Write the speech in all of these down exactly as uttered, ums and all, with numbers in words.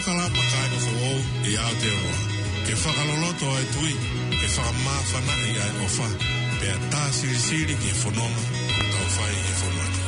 Kalama kāinga foʻou ʻi Aotearoa, ke fakaloloto ʻa e tui, ke fakamāfanaʻi ʻa e ʻofa, pea tā silisili ki he fononga ʻoku tau fai ʻi he fonua ni.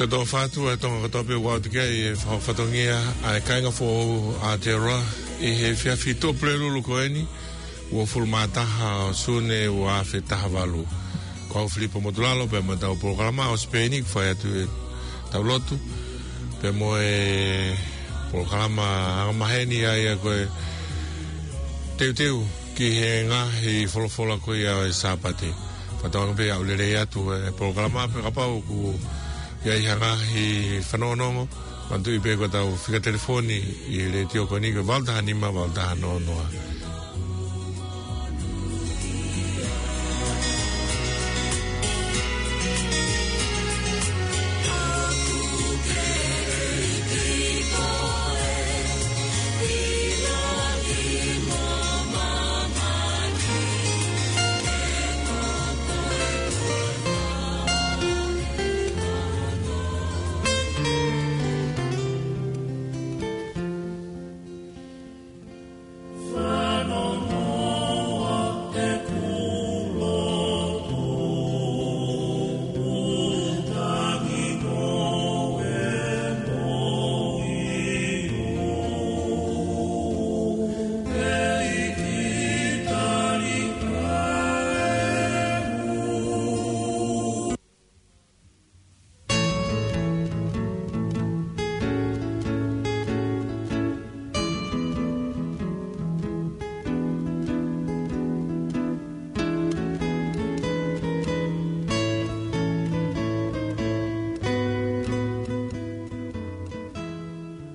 Siʻoto ʻofa atu ʻa e Tonga kotoa pē ʻoku ʻi he ʻaho ni, ʻa e fatongia ʻa e kāinga foʻou ʻa Aotearoa ʻi he efiafi Tuʻapulelulu ko eni, uofulu mā taha ʻo Sune ua afe taha valu. Ko au Filipo Motulalo, pea mo ʻetau polokalama ʻo Sipeini, ʻoku fai atu ʻetau lotu, pea mo e polokalama angamaheni ʻa ia ko e teuteu ki he ngaahi folofola ko ia ʻo e Sāpate. Fakatauange pē ʻoku lelei atu e polokalama, pea kapau ʻoku ʻi ai ha ngaahi fanongonongo, manatuʻi pē ko ʻetau fika telefoni ʻi he letiō ko eni ko e valu taha nima, valu taha noa noa.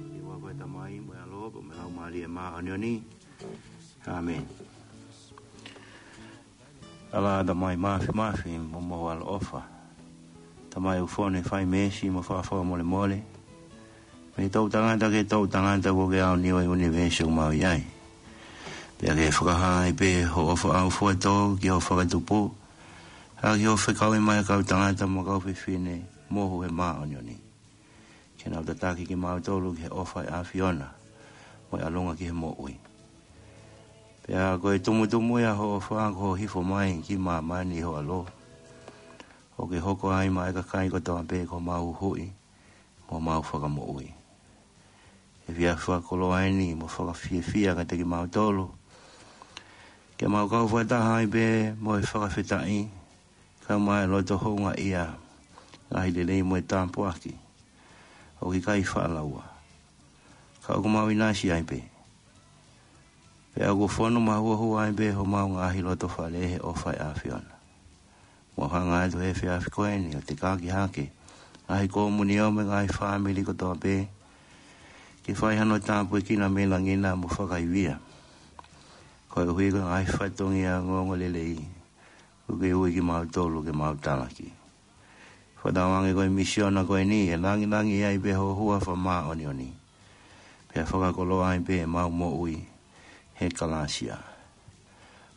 ʻI he huafa ʻo e Tamai, mo e ʻAlo, mo e Laumālie Māʻoniʻoni. ʻĀmeni. ʻAlā, Tamai Māfimafi mo Mohu ʻaloʻofa, Tamai ʻoku fonu ʻi he fai meesi mo fakafakamolemole mei he toʻutangata ki he toʻutangata, ʻoku ke aoniu ʻa e ʻunivēsi ʻoku mau ʻi ai. Pea ke fakahā ai pē hoʻo ʻofa ʻaufuatō ki hoʻo fakatupu, ʻaki hoʻo fekauʻi mai ʻa e kau tangata mo e kau fefine mohu ʻi he māʻoniʻoni, ke nau tataki kimautolu ki he ʻofa ʻa e ʻAfiona mo e ʻalunga ki he moʻui. Pea ko e tumutumu ia hoʻo ʻofa, ko hoʻo hifo mai ki māmani ʻi ho ʻAlo, ʻo ke hoko ai maʻa e kakai kotoa pē ko homau Huhuʻi mo homau Fakamoʻui. Efiafi fakakoloa eni mo fakafiefia kiate kimautolu, ke mau kau fakataha ai pē mo e fakafetaʻi, kae ʻumaʻā e loto houngaʻia, ngaahi lelei mo e tāpuaki ʻoku ʻikai faʻa laua, ka ʻoku mau ʻinasi ai pē. Pea ʻoku fonu mahuohua ai pē homau ngaahi loto fale he ʻofa ʻa e ʻAfiona. Mau hanga atu he efiafi ko eni ʻo tekaki hake ngaahi komiunio mo e ngaahi fāmili kotoa pē, ke fai hano tāpuekina mei langi na mo fakaivia, koeʻuhi ko e ngaahi fatongia ongoongolelei ʻoku ke ui kimautolu ke mau talaki. Fakatauange ko e misiona ko eni ʻe langilangiʻia ai pē ho huafa māʻoniʻoni, pea fakakoloa ai pē ʻemau moʻui he kalāsia.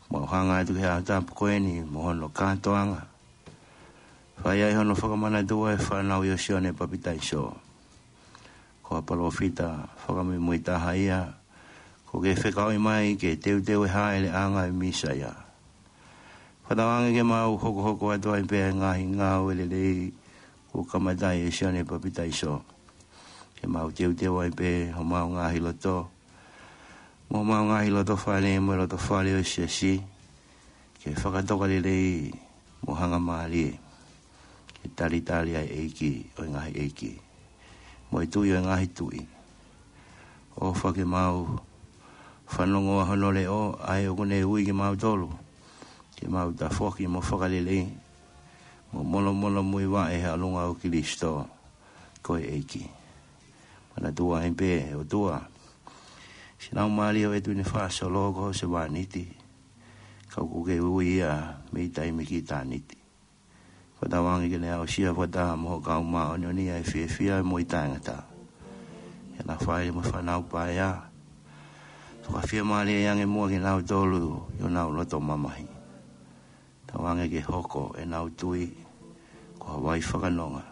Mau hanga atu ki he ʻaho tapu ko eni mo hono kātoanga, fai ai hono fakamanatu ʻa e fānau ʻo Sione Papitaiso, ko ha palōfita fakamuimuitaha ia kuo ke fekauʻi mai ke teuteu e hāʻeleʻanga ʻo e Mīsaia. Fakatauange ke mau hokohoko atu ai pē ʻa e ngaahi ngāue lelei kuo kamata ʻe Sione Papitaiso, ke mau teuteu ai pē homau ngaahi loto mo homau ngaahi loto fale mo e loto fale ʻo e siasi, ke fakatoka lelei mo hangamālie, ke talitali ʻa e ʻEiki ʻo e ngaahi ʻeiki mo e Tuʻi ʻo e ngaahi tuʻi. ʻOfa ke mau fanongoa hono leʻo, ʻa ia ʻoku ne ui kimautolu ke mau tafoki mo fakalelei, mo molomola muivaʻe he ʻalunga ʻo Kilisitō ko e ʻEiki. Manatua ai pē ʻOtua, siʻi laumālie ʻo e tuʻi ne fakasolo ko ho sevāniti, ka ʻoku ke ui ia mei taimi ki ʻitāniti. Fakatauange ke ne aʻusia fakataha mo ho kau māʻoniʻoni ʻa e fiefia mo e taʻengata. Ke na fai mo e fānau paea. Fakafiemālie ange muʻa kinautolu ʻi honau loto mamahi. Tauange ke hoko ʻenau tui ko ha vai fakanonga,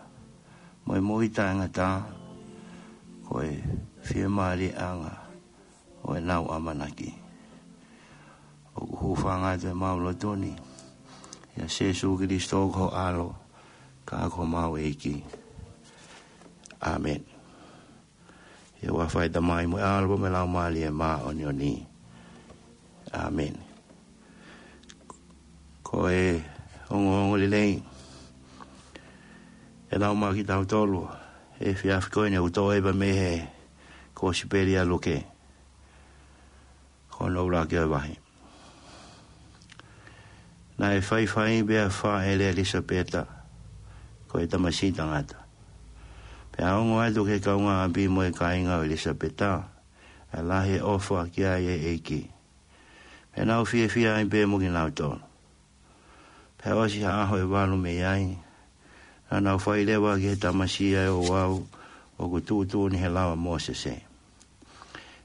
mo e moʻui taʻengata ko e fiemālieʻanga ʻo ʻenau ʻamanaki. ʻOku hūfanga atu ʻemau loto ni ʻia Sīsū Kilisitō ko ho ʻAlo, ka ko homau ʻEiki. ʻĀmeni. ʻI he huafa ʻo e Tamai mo e ʻAlo mo e Laumālie Māʻoniʻoni. ʻĀmeni. Ko e ongoongolelei ʻe lau maʻa kitautolu he efiafi ko eni ʻoku toʻo ia mei he Kosipeli ʻa Luke, ko hono ʻuluaki ʻo e vahe. Naʻe faifai pea fāʻele ʻa ʻIlisapeta, ko e tamasiʻi tangata. Pea ongo atu ki he kaungāʻapi mo e kāinga ʻo ʻIlisapeta ʻa e lahi e ʻofa ki ai ʻa e ʻEiki. Pea nau fiefia ai pē mo kinautolu. Pea ʻosi ha ʻaho ʻe valu mei ai, naʻa nau fai leva ki he tamasiʻi ʻa e ouau ʻoku tuʻutuʻuni he lao ʻa Mōsese.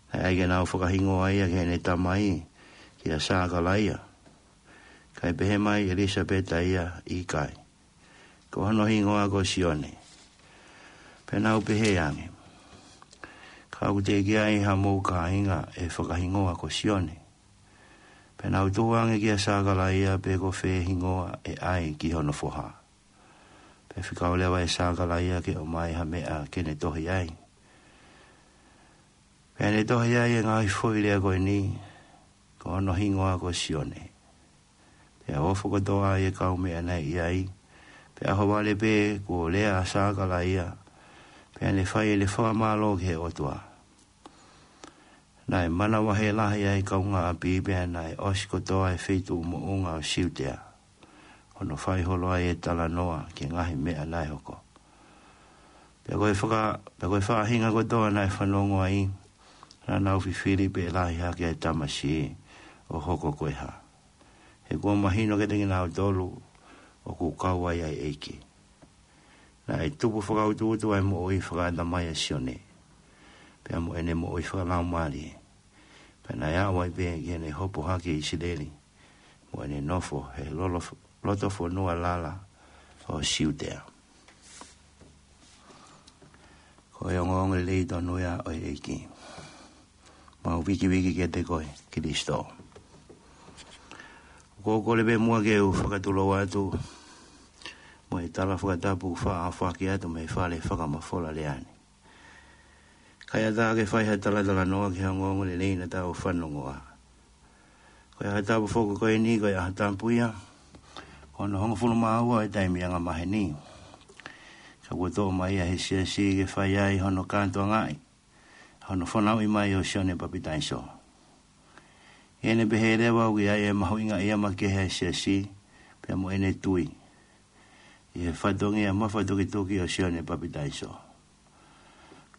Naʻe ʻai ke nau fakahingoa ia ki heʻene tamai, kia Sakalaia. Kae pehē mai ʻe ʻIlisapeta ia, ʻIkai, ko hono hingoa ko Sione. Pea nau pehē ange, Ka ʻoku teʻeki ai hamou kāinga ʻe fakahingoa ko Sione. Pea nau tuhu ange kia Sakalaia pe ko fē hingoa ʻe ʻai ki hono foha. Pea fekau leva ʻe Sakalaia ke ʻomai ha meʻa ke ne tohi ai. Pea ne tohi ai e ngaahi foʻi lea ko eni, Ko hono hingoa ko Sione. Pea ofo kotoa ʻa e kau meʻa naʻe ʻi ai, pea ʻaho vale pē kuo lea ʻa Sakalaia, pea ne fai ʻene fakamālō ki he ʻOtua. Naʻe manavahē lahi ʻa e kaungāʻapi, pea naʻe ʻosi kotoa e feituʻu moʻunga ʻo Siutea, hono fai holo ai e talanoa ki he ngaahi meʻa naʻe hoko. Pea ko e faka-, pea ko e faʻahinga kotoa naʻe fanongo ai, naʻa nau fifili pe ʻe lahi hake ʻa e tamasiʻi ʻo hoko ko e hā. He kuo mahino kiate kinautolu ʻoku kau ai ʻa e ʻEiki. Naʻe tupu fakautuutu ʻa e moʻui fakaʻatamai ʻa Sione, pea mo ʻene moʻui fakalaumālie. Pea naʻe aʻu ai pē ki heʻene hopo hake ʻi ʻIsileli, mo ʻene nofo he lolo-, loto fonua lala ʻo Siutea. Ko e ongoongolelei tonu ia ʻo e ʻEiki. Mau vikiviki kiate koe, Kilisitō. ʻOku ou kole pē muʻa ke u fakatulou atu mo e tala fakatapu faʻaʻaufaki atu mei he fale fakamafola lea ni. Kae ʻatā ke fai ha talatalanoa ki he ongoongolelei naʻa tau fanongoa. Ko e ʻaho tapu foki ko eni, ko e ʻaho tapu ia, ko hono hongofulu mā ua ʻo e taimi angamaheni. Ka kuo toʻo mai ia ʻe he siasi ke fai ai hono kātoangaʻi hono fanauʻi mai ʻo Sione Papitaiso. ʻI heʻene pehē leva ʻoku ʻi ai e mahuʻingaʻia makehe ʻa e siasi pea mo ʻene tui ʻi he fatongia mafatukituki ʻo Sione Papitaiso.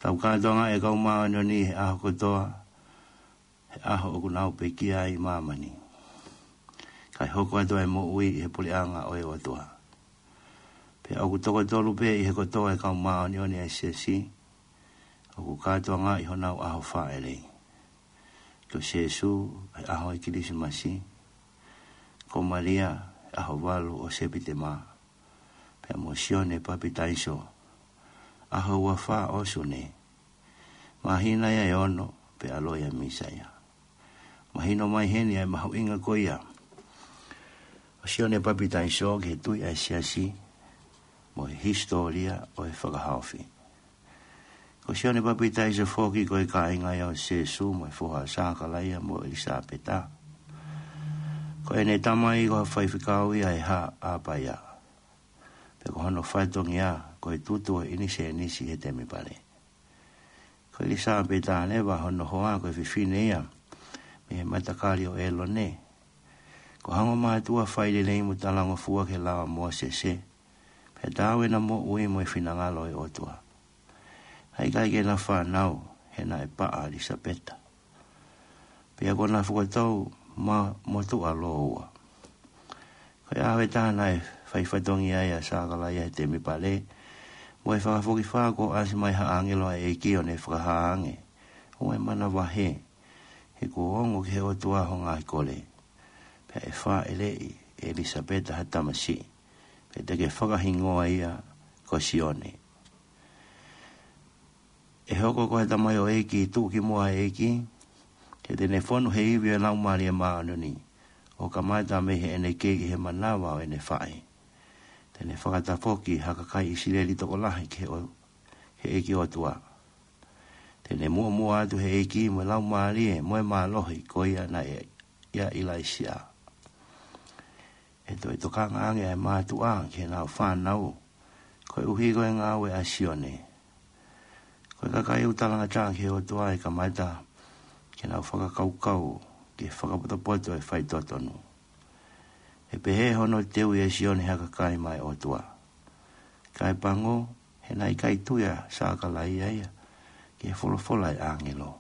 Tau kātoangaʻi e kau māʻoniʻoni he ʻaho kotoa, he ʻaho ʻoku nau pekia ai ʻi māmani, kae hoko atu ʻa e moʻui ʻi he puleʻanga ʻo e ʻOtua. Pea ʻoku toko tolu pē ʻi he kotoa e kau māʻoniʻoni ʻa e siasi ʻoku kātoangaʻi honau ʻaho fāʻele. Ko Sīsū, he ʻaho ʻo e Kilisimasi. Ko Malia, he ʻaho valu ʻo Sepitema. Pea mo Sione Papitaiso, ʻaho ua fā ʻo Sune. Māhina ia ʻe ono, pea ʻalu ia ʻa Mīsaia. Mahino mai heni ʻa e mahuʻinga ko ia ʻo Sione Papitaiso ki he tui ʻa e siasi mo e hisitōlia ʻo e fakahaofi. Ko Sione Papitaiso foki ko e kāinga ia ʻo Sīsū mo e foha ʻo Sakalaia mo ʻIlisapeta. Ko ʻene tamai ko ha faifekau ia ʻi he Haʻa ʻApaia. Pea ko hono fatongia ko e tutu ʻo e ʻinisēnisi he temipale. Ko ʻIlisapeta leva hono hoa ko e fefine ia mei he matakali ʻo ʻĒlone. Ko ha ongo mātuʻa failelei mo talangofua ki he lao ʻa Mōsese, pea taau ʻena moʻui mo e finangalo ʻo e ʻOtua. Naʻe ʻikai ke na fānau, he naʻe paʻa ʻa ʻIlisapeta. Pea kuo na fokotuʻu mo motuʻa lōua. Ko e ʻaho ʻe taha naʻe fai fatongia ai ʻa Sakalaia he temipale, mo e fakafokifā kuo ʻasi mai ha ʻāngelo ʻa e ʻEiki ʻo ne fakahā ange, ʻoua ʻe manavahē, he kuo ongo ki he ʻOtua ho ngaahi kole. Pea ʻe fāʻeleʻi ʻe ʻIlisapeta ha tamasiʻi, pea te ke fakahingoa ia ko Sione. ʻE hoko ko ha tamaioʻeiki tuʻukimuʻa ʻa e ʻEiki, he te ne fonu he ivi ʻo e Laumālie Māʻoniʻoni, ʻo kamata mei heʻene kei ʻi he manava ʻo ʻene faʻē. Te ne fakatafoki ha kakai ʻIsileli tokolahi ki he ʻo-, he ʻEiki ʻOtua. Te ne muʻomuʻa atu he ʻEiki mo e Laumālie mo e mālohi ko ia naʻe ʻia ʻIlaisiā. ʻE toe tokanga ange ʻa e mātuʻa ki heʻenau fānau, koeʻuhi ko e ngāue ʻa Sione. Ko e kakai ʻoku talangataʻa ki he ʻOtua ʻe kamata ke nau fakakaukau ki he fakapotopoto ʻo e faitotonu. ʻE pehē hono teuʻi ʻe Sione ha kakai maʻa e ʻOtua. Kae pango, he naʻe ʻikai tui ʻa Sakalaia ia ki he folofola ʻa e ʻāngelo.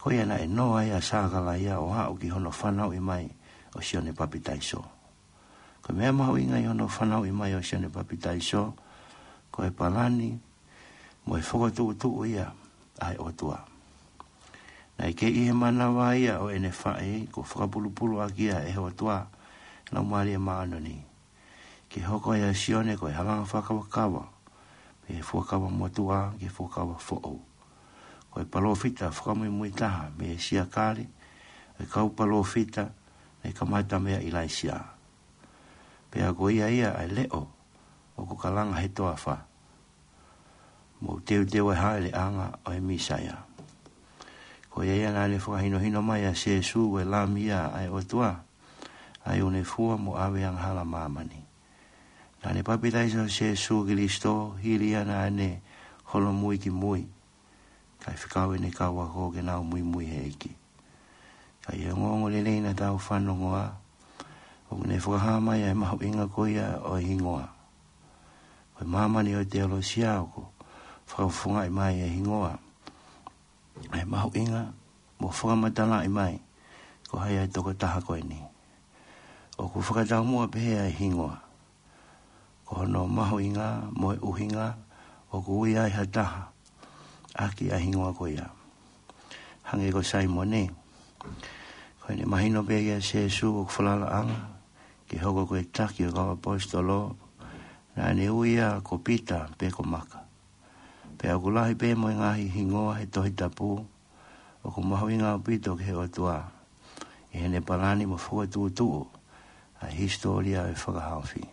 Ko ia naʻe noa ai ʻa Sakalaia ʻo aʻu ki hono fanauʻi mai ʻo Sione Papitaiso. Ko e meʻa mahuʻinga ʻi hono fanauʻi mai ʻo Sione Papitaiso, ko e palani mo e fokotuʻutuʻu ia ʻa e ʻOtua. Naʻe kei ʻi he manava ia ʻo ʻene faʻē, kuo fakapulupulu ʻaki ia ʻe he ʻOtua, Laumālie Māʻoniʻoni, ke hoko ai ʻa Sione ko e halanga fakakavakava, mei he fuakava motuʻa ki he fuakava foʻou. Ko e palōfita fakamuimui taha mei he siakale ʻo e kau palōfita naʻe kamata meia ʻIlaisiā. Pea ko ia ia ʻa e leʻo ʻoku kalanga he toafa, mou teuteu ʻa e hāʻeleʻanga ʻo e Mīsaia. Ko ia ia naʻa ne fakahinohino mai ʻa Sēsū ko e Lami ia ʻa e ʻOtua, ʻa ia ʻoku ne fua mo ʻave angahala ʻa māmani. Naʻa ne papitaiso ʻa Sēsū Kilisitō hili ia naʻa ne holomui ki mui, kae fekau ʻene kau ako ke nau muimui he ʻEiki. Ka ʻi he ongoongolelei naʻa tau fanongoa, ʻoku ne fakahā mai ʻa e mahuʻinga ko ia ʻo e hingoa. Ko e māmani ʻo e teolosia ʻoku fakafofongaʻi mai ʻa e hingoa, ʻa e mahuʻinga, mo fakamatalaʻi mai ko hai ʻa e tokotaha ko eni. ʻOku fakataumuʻa pehē ʻa e hingoa, ko hono mahuʻinga mo e ʻuhinga ʻoku ui ai ha taha ʻaki ʻa e hingoa ko ia. Hangē ko Saimone, ko ʻene mahino pē kia Sēsū ʻoku falalaʻanga ke hoko ko e taki ʻo e kau ʻaposetolo, naʻa ne ui ia ko Pita pe ko Maka. Pea ʻoku lahi pē mo e ngaahi hingoa he Tohi Tapu ʻoku mahuʻinga ʻaupito ki he ʻOtua ʻi heʻene palani mo fokotuʻutuʻu ʻa e hisitōlia ʻo e fakahaofi.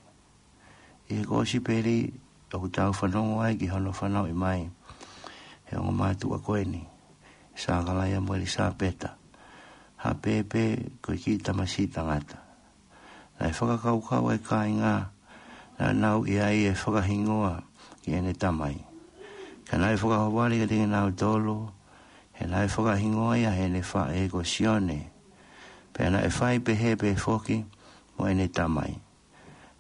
ʻI he kōsipeli ʻoku tau fanongo ai ki hono fanauʻi mai ʻe he ongo mātuʻa ko eni, Sakalaia mo ʻIlisapeta, ha pēpē ko e kiʻi tamasiʻi tangata. Naʻe fakakaukau ʻa e kāinga naʻa nau ʻi ai e fakahingoa ki heʻene tamai. Ka naʻe fakahohaʻa kiate kinautolu, he naʻe fakahingoa ia ʻe heʻene faʻē ko Sione. Pea naʻe fai pehē pē foki mo ʻene tamai.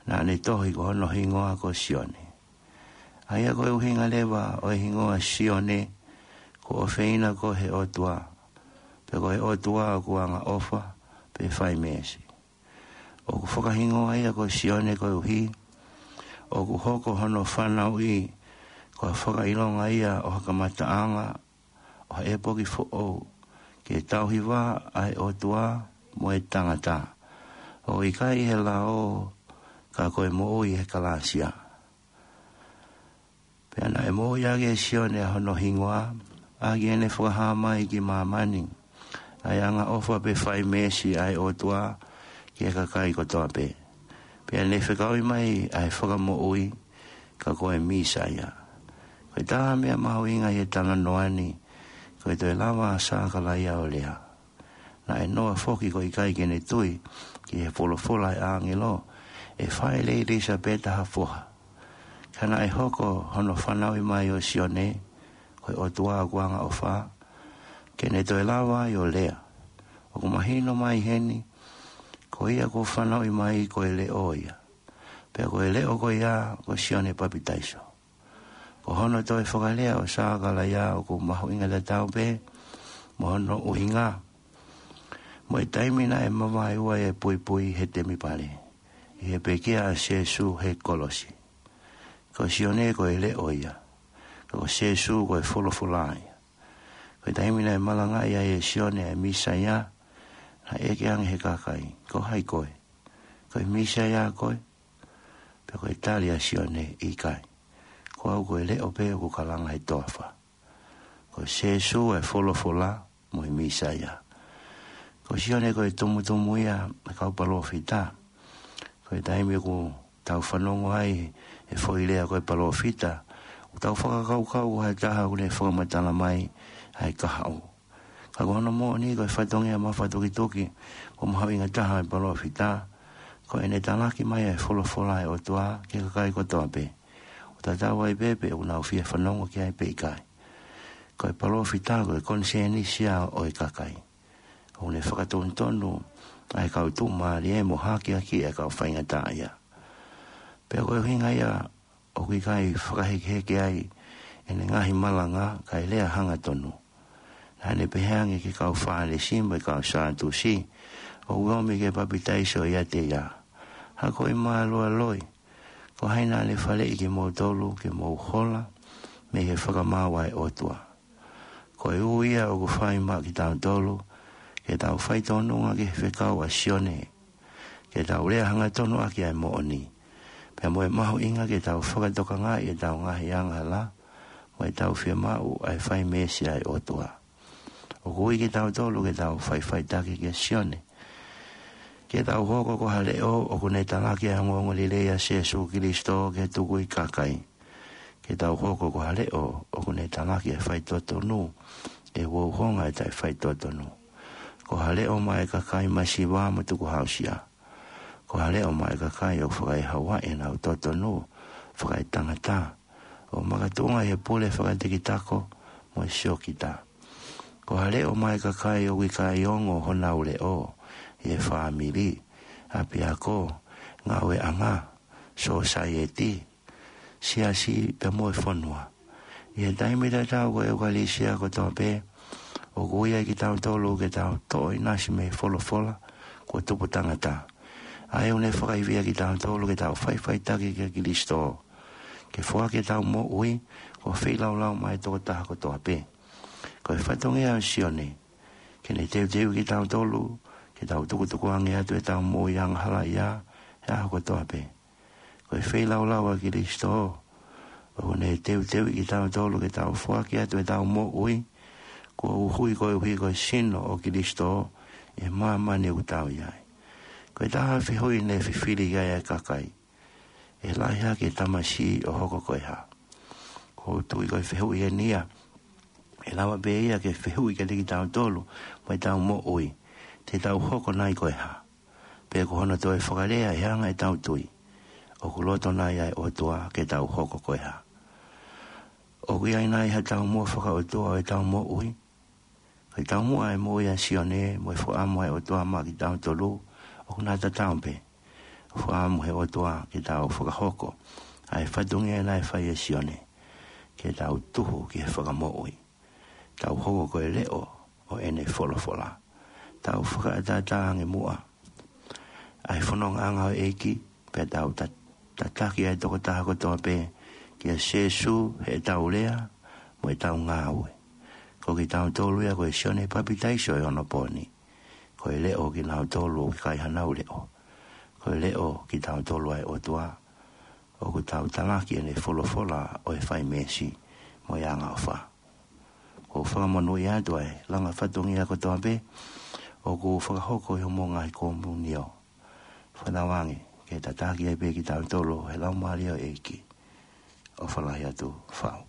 Naʻa ne tohi ko hono hingoa ko Sione. ʻA ia ko e ʻuhinga leva ʻo e hingoa Sione, ko e ʻofeina ko e ʻOtua, pe ko e ʻOtua ʻoku angaʻofa pe fai meesi. ʻOku fakahingoa ia ko Sione koeʻuhi ʻoku hoko hono fanauʻi ko ha fakaʻilonga ia ʻo ha kamataʻanga ʻo ha ʻepoki foʻou, ke tauhi vā ʻa e ʻOtua mo e tangata, ʻo ʻikai he lao, ka ko e moʻui he kalāsia. Pea naʻe moʻui ʻaki ʻe Sione ʻa hono hingoa, ʻaki ʻene fakahā mai ki māmani ʻa e angaʻofa pe fai meesi ʻa e ʻOtua ki he kakai kotoa pē. Pea ne fekauʻi mai ʻa e Fakamoʻui, ka ko e Mīsaia. Ko e taha meʻa mahuʻinga ʻi he talanoa ni, ko e toe lava ʻa Sakalaia ʻo lea. Naʻe noa foki ko e ʻikai ke ne tui ki he folofola ʻa e ʻāngelo, ʻe fai lelei ʻe ʻIlisapeta ha foha. Ka naʻe hoko hono fanauʻi mai ʻo Sione ko e ʻOtua ʻoku angaʻofa, ke ne toe lava ai ʻo lea. ʻOku mahino mai heni, Ko ia kuo fanauʻi mai ko e Leʻo ia. Pea ko e Leʻo ko ia ko Sione Papitaiso. Ko hono toe fakalea ʻo Sakalaia ʻoku mahuʻinga tatau pē mo hono ʻuhinga. Mo e taimi naʻe mavaeua e puipui he temipale, ʻi he pekia ʻa Sēsū he kolosi. Ko Sione ko e Leʻo ia. Ko Sēsū ko e Folofola ia. Ko e taimi naʻe malangaʻi ai ʻe Sione e Mīsaia, naʻe ʻeke ange he kakai, ko hai koe? Ko e Mīsaia koe? Pea ko e tali ʻa Sione, ʻikai. Ko au ko e Leʻo pē ʻoku kalanga he toafa. Ko Sēsū e Folofola mo e Mīsaia. Ko Sione ko e tumutumu ia ʻa e kau palōfita. Ko e taimi ʻoku tau fanongo ai he foʻi lea ko e palōfita, ʻoku tau fakakaukau ko ha taha ʻoku ne fakamatala mai ʻa e kahaʻu. Ka ko hono moʻoni ko e fatongia mafatukituki ʻoku mahuʻinga taha ʻo e palōfita, ko ʻene talaki mai ʻa e Folofola ʻa e ʻOtua ki he kakai kotoa pē, ʻo tatau ai pē pe ʻoku nau fie fanongo ki ai pe ʻikai. Ko e palōfita ko e konisēnisi ia ʻo e kakai. ʻOku ne fakatonutonu ʻa e kau tuʻumālie mo hakeakiʻi ʻa e kau faingataʻaʻia. Pea ko e ʻuhinga ia ʻoku ʻikai fakahekeheke ai ʻene ngaahi malanga kae lea hangatonu. Naʻa ne pehē ange ki he kau Fālesi mo e kau Sātusi ʻoku omi ke papitaiso ʻiate ia, ha ko e mālualoi, ko hai naʻa ne faleʻi kimoutolu ke mou hola mei he fakamaau ʻa e ʻOtua? Ko e ui ia ʻoku fai maʻa kitautolu ke tau faitōnunga ki he fekau ʻa Sione, ke tau lea hangatonu ʻaki ʻa e moʻoni, pea mo e mahuʻinga ke tau fakatokangaʻi ʻetau ngaahi angahala mo ʻetau fiemaʻu ʻa e fai meesi ʻa e ʻOtua. ʻOku ui kitautolu ke tau faʻifaʻitaki kia Sione, ke tau hoko ko ha leʻo ʻoku ne talaki ʻa e ongoongolelei ʻa Sēsū Kilisitō ki he tukui kakai, ke tau hoko ko ha leʻo ʻoku ne talaki ʻa e faitotonu ʻi he uhouhonga ʻo e taʻefaitotonu, ko ha leʻo maʻa e kakai masiva mo tukuhāusia, ko ha leʻo maʻa e kakai ʻoku fakaehauaʻi ʻenau totonu fakaetangata, ʻo makatuʻunga ʻi he pule fakatekitako mo e siokita, ko ha leʻo maʻa e kakai ʻoku ʻikai ongo honau leʻo ʻi he fāmili, ʻapiako, ngāueʻanga, sōsaieti, siasi pea mo e fonua. ʻI he taimi tatau ko e ʻEukalisia kotoa pē, ʻoku ui ai kitautolu ke tau toʻo ʻinasi mei he Folofola kuo tupu tangata, ʻa ia ʻoku ne fakaivia kitautolu ke tau faʻifaʻitaki kia Kilisitō, ke foaki ʻetau moʻui ko e feilaulau maʻa e tokotaha kotoa pē. Ko e fatongia ʻo Sione ke ne teuteuʻi kitautolu ke tau tukutukuange atu ʻetau moʻui angahalaʻia he ʻaho kotoa pē. Ko e feilaulau ʻa Kilisitō ʻoku ne teuteuʻi kitautolu ke tau foaki atu ʻetau moʻui kuo uhui koeʻuhi ko e sino ʻo Kilisitō ʻi he māmani ʻoku tau ʻi ai. Ko e taha fehuʻi ne fifili ki ai ʻa e kakai, ʻe lahi hake e tamasiʻi ʻo hoko ko e hā? ʻOku ou tui ko e fehuʻi eni ia ʻe lava pē ia ke fehuʻi kiate kitautolu mo ʻetau moʻui, te tau hoko nai ko e hā? Pe ko hono toe fakalea ʻe anga ʻetau tui, ʻoku loto nai ʻa e ʻOtua ke tau hoko ko e hā? ʻOku ʻi ai nai ha taumuʻa fakaʻotua ʻo ʻetau moʻui? Ko e taumuʻa ʻa e moʻui ʻa Sione mo e fakaʻamu ʻa e ʻOtua maʻa kitautolu ʻoku na tatau pē. Fakaʻamu he ʻOtua ke tau fakahoko ʻa e fatongia naʻe fai ʻe Sione, ke tau tuhu ki he Fakamoʻui, tau hoko ko e leʻo ʻo ʻene Folofola, tau fakaʻataʻatā ange muʻa ʻa e fonongaʻanga ʻo e ʻEiki, pea tau ta- tataki ʻa e tokotaha kotoa pē kia Sēsū heʻetau lea mo ʻetau ngāue. Ko kitautolu ia ko e Sione Papitaiso ʻi onopooni. Ko e leʻo kinautolu ʻoku ʻikai hanau leʻo. Ko e leʻo kitautolu ʻa e ʻOtua ʻoku tau talaki ʻene Folofola ʻo e fai meesi mo e angaʻofa. ʻOku ou fakamonūʻia atu ʻa e langa fatongia kotoa pē ʻoku fakahoko ʻi hoʻomou ngaahi komiunio. Fakatauange ke tataki ai pē kitautolu he Laumālie ʻo e ʻEiki. ʻOfa lahi atu, fau.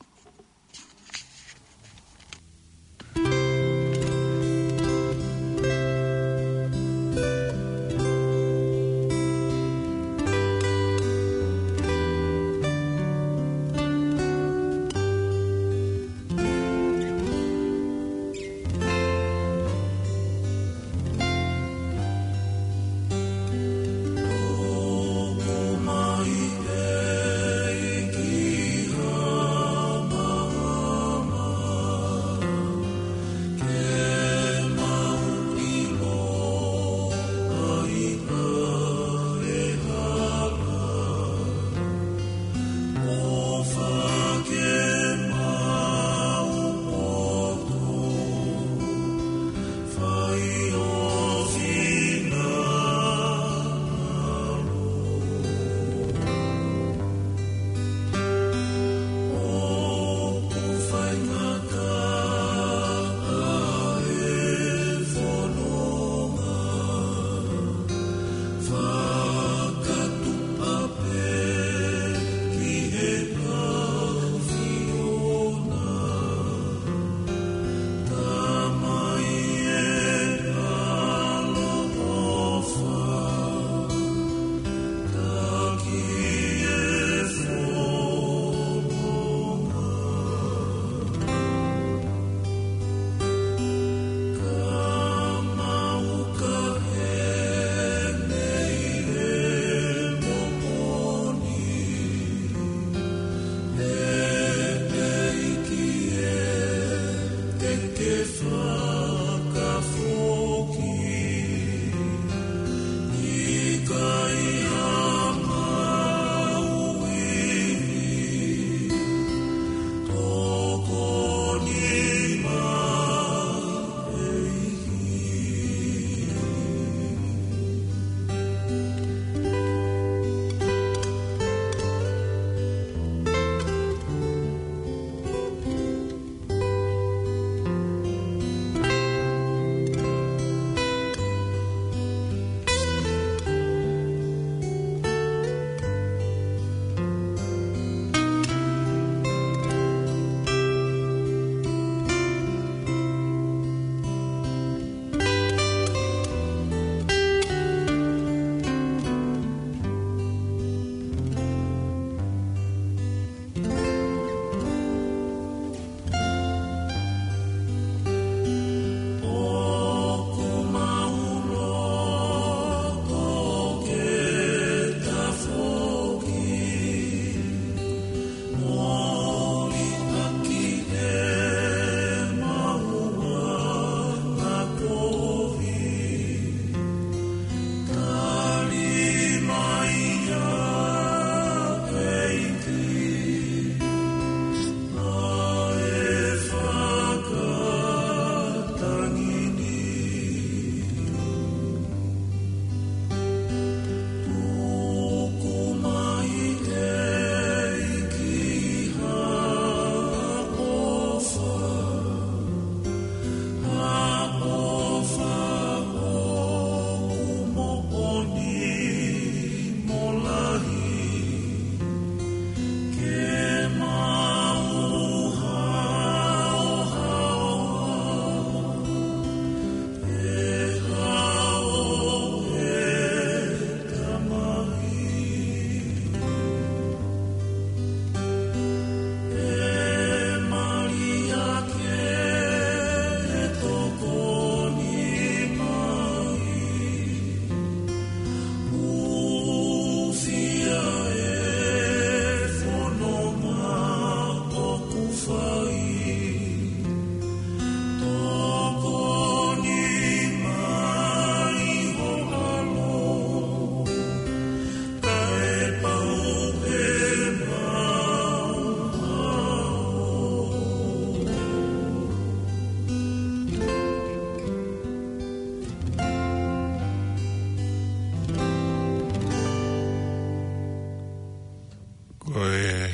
Ko e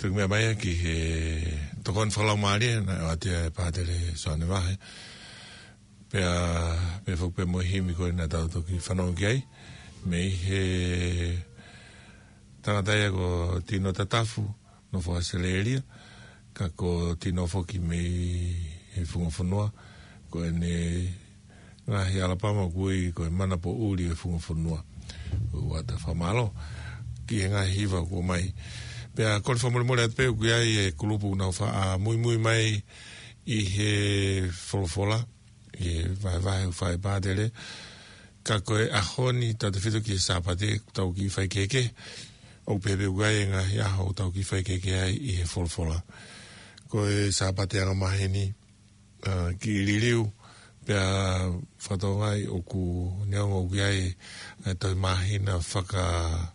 tuku meʻa mai ia ki he tokoni fakalaumālie naʻe ʻoatu ia ʻe Pātele Soane Vahe. Pea, pea foki pē mo e himi ko ē naʻa tau toki fanongo ki ai. Mei he tangata ia ko Tino Tatafu, nofo ʻAositelēlia, ka ko Tino foki mei he Funga Fonua, ko ʻene ngaahi ʻalapama ʻoku ui ko e Manapoʻuli ʻo e Funga Fonua. ʻOatu e fakamālō ki he ngaahi hiva kuo ʻomai. Pea kole fakamolemole atu pē ʻoku ʻi ai e kulupu ʻoku nau faʻa muimui mai ʻi he folofola, ʻi he vahevahe ʻoku fai ʻe Pātele. Ka ko e ʻaho ni tautefito ki he Sāpate, ʻoku tau kiʻi faikehekehe. ʻOku pehē pē ʻoku ʻi ai e ngaahi ʻaho ʻoku tau kiʻi faikehekehe ai ʻi he folofola. Ko e Sāpate angamaheni, ʻa, kiʻi liliu, pea fakatokangaʻi ʻoku neongo ʻoku ʻi ai e tohi māhina faka-,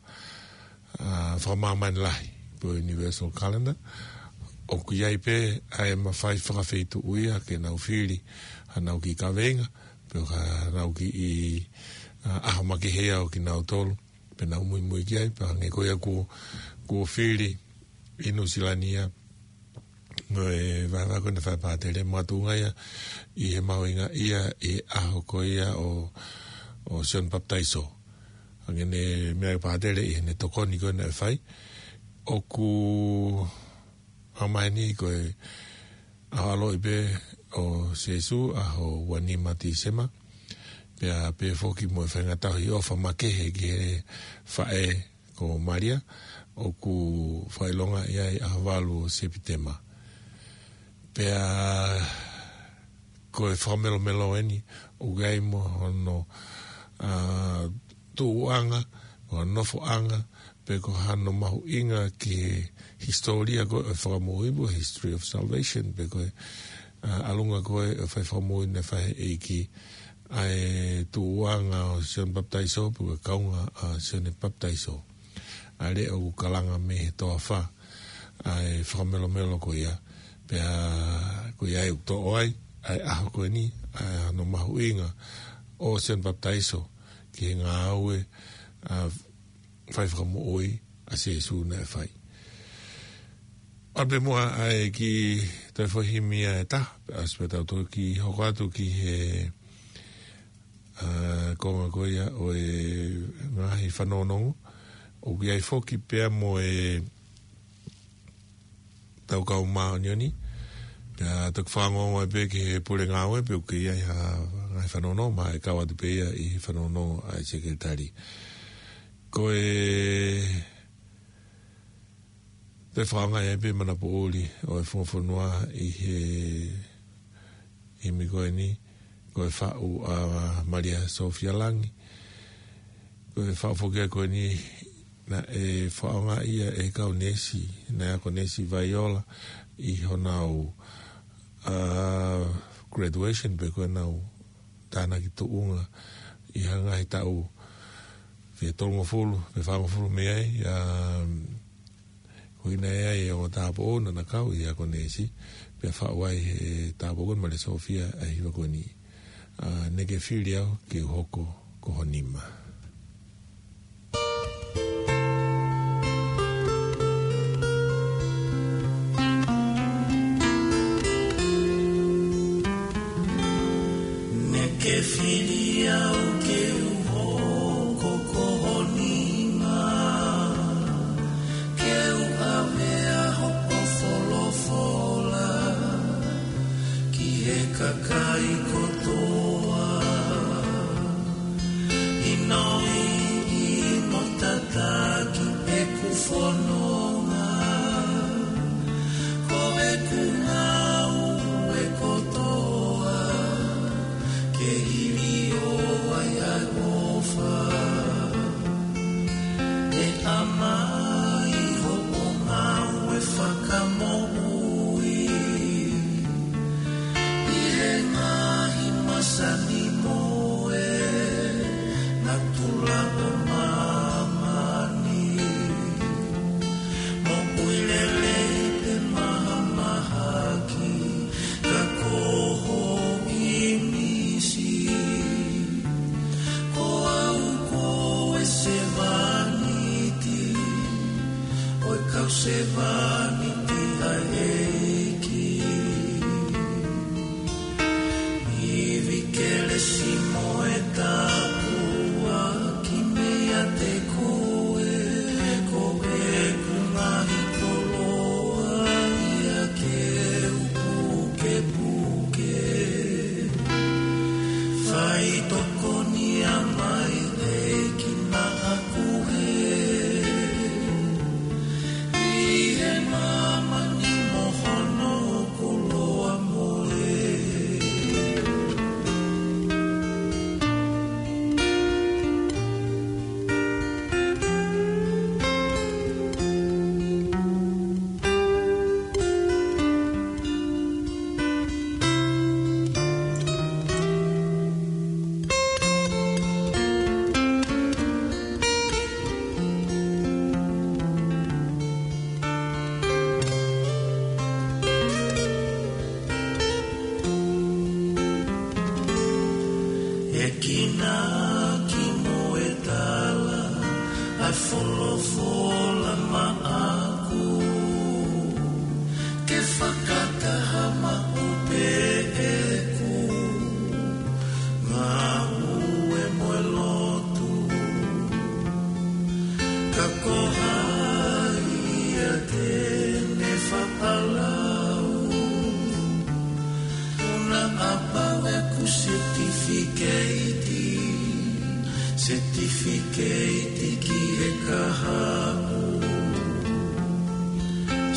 ʻa, fakamāmani lahi, pe ko e Universal Calendar, ʻoku ʻi ai pē ʻa e mafai fakafeituʻu ia ke nau fili haʻanau kiʻi kaveinga, pe ko haʻanau kiʻi, ʻa, ʻaho makehe ia ʻo kinautolu, pea nau muimui ki ai, pea hangē ko ia kuo, kuo fili ʻi Nuʻusila ni ia, mo e vahevahe ko ē naʻe fai ʻe Pātele, makatuʻunga ia ʻi he mahuʻinga ia ʻi he ʻaho ko ia ʻo, ʻo Sione Papitaiso. Hangē ne meʻa ʻa Pātele ʻi heʻene tokoni ko ē naʻe fai. ʻOku ʻaho mai ni ko e ʻaho ʻaloʻi pē ʻo Sīsū, ʻaho ua nima Tīsema. Pea pehē foki mo e faʻahinga tauhi ʻofa makehe ki he faʻē ko Malia, ʻoku fakaʻilongaʻi ai ʻaho valu ʻo Sepitema. Pea ko e fakamelomelo eni, ʻoku ʻi ai mo hono, ʻa, tuʻuʻanga, mo hono nofoʻanga, pe ko hano mahuʻinga ki he hisitōlia ko ē ʻo e fakamoʻui, pe ko e history of salvation, pe ko e, ʻa, ʻalunga ko ē ʻo e fai fakamoʻui naʻe fai ʻe he ʻEiki, ʻa e tuʻuʻanga ʻo Sione Papitaiso, pe ko e kaunga ʻa Sione Papitaiso. ʻA e leʻo ʻoku kalanga mei he toafa, ʻa e fakamelomelo ko ia. Pea ko ia ʻoku toʻo ai ʻa e ʻaho ko eni, ʻa hono mahuʻinga ʻo Sione Papitaiso ki he ngāue, ʻa, fai fakamoʻui ʻa Sīsū naʻe fai. ʻAlu pē muʻa ʻa e kiʻi toe foʻi himi ʻe taha, pea ʻosi pea tau toki hoko atu ki he, ʻa, konga ko ia ʻo e ngaahi fanongonongo. ʻOku ʻi ai foki pea mo e Tau Kau Māʻoniʻoni. Pea toki fanongo ai pē ki he pule ngāue, pe ʻoku ʻi ai ha ngaahi fanongonongo, mahalo ʻe kau atu pē ia ʻi he fanongonongo ʻa e sekelitali. Ko e toe fakaʻaongaʻi ai pē Manapoʻuli ʻo e Funga Fonua ʻi he himi ko eni, ko e faʻu ʻa Malia Sofia Langi. Ko e faʻu foki ia ko eni naʻe fakaʻaongaʻi ia ʻe he kau neesi, naʻe ako neesi Vaiola ʻi honau, ʻa, graduation pe ko ʻenau tānaki tuʻunga ʻi ha ngaahi taʻu fiha tolungofulu, pe fāngofulu mei ai, ʻa, ko ʻene ʻi ai e ongo tāupoʻou naʻa na kau ʻi he ako neesi, pea faʻu ai ʻe he tāupoʻou ko eni Malia Sofia ʻa e hiva ko eni, ʻa, Neʻe ke fili au ke u hoko ko ho nima. Neʻe ke fili au ke u hoko ko ho nima, ke u ʻave ʻa hoʻo folofola ki he kakai kotoa. ʻInoʻi mo tataki ʻeku fononga, ko ʻeku ngāue kotoa ke hiliō ai ʻa e ʻofa. ʻE ʻamai hoʻo ngāue fakamoʻui ʻi he ngaahi masani mo e natula ʻo māmani. Moʻui lelei pe mahamahaki, ka ko ho ʻīmisi. Ko au ko e sevāniti ʻo e Kau sevāniti ʻa e ʻEiki. Ivi kelesi mo e tāpuaki meiate koe, ko ʻeku ngaahi koloa ia ke u pukepuke. Faitokoni mai ʻEiki naʻa ku hē, ʻi he māmani mo hono koloa mole. ʻEiki naʻa ki mo e tala ʻa e folofola maʻaku, ke fakataha maʻu pē ʻeku ngāue mo e lotu. Ka ko hai ia te ne fakalau? ʻOku na ʻapau ʻeku setifikeiti, setifikeiti ki he kahaʻu.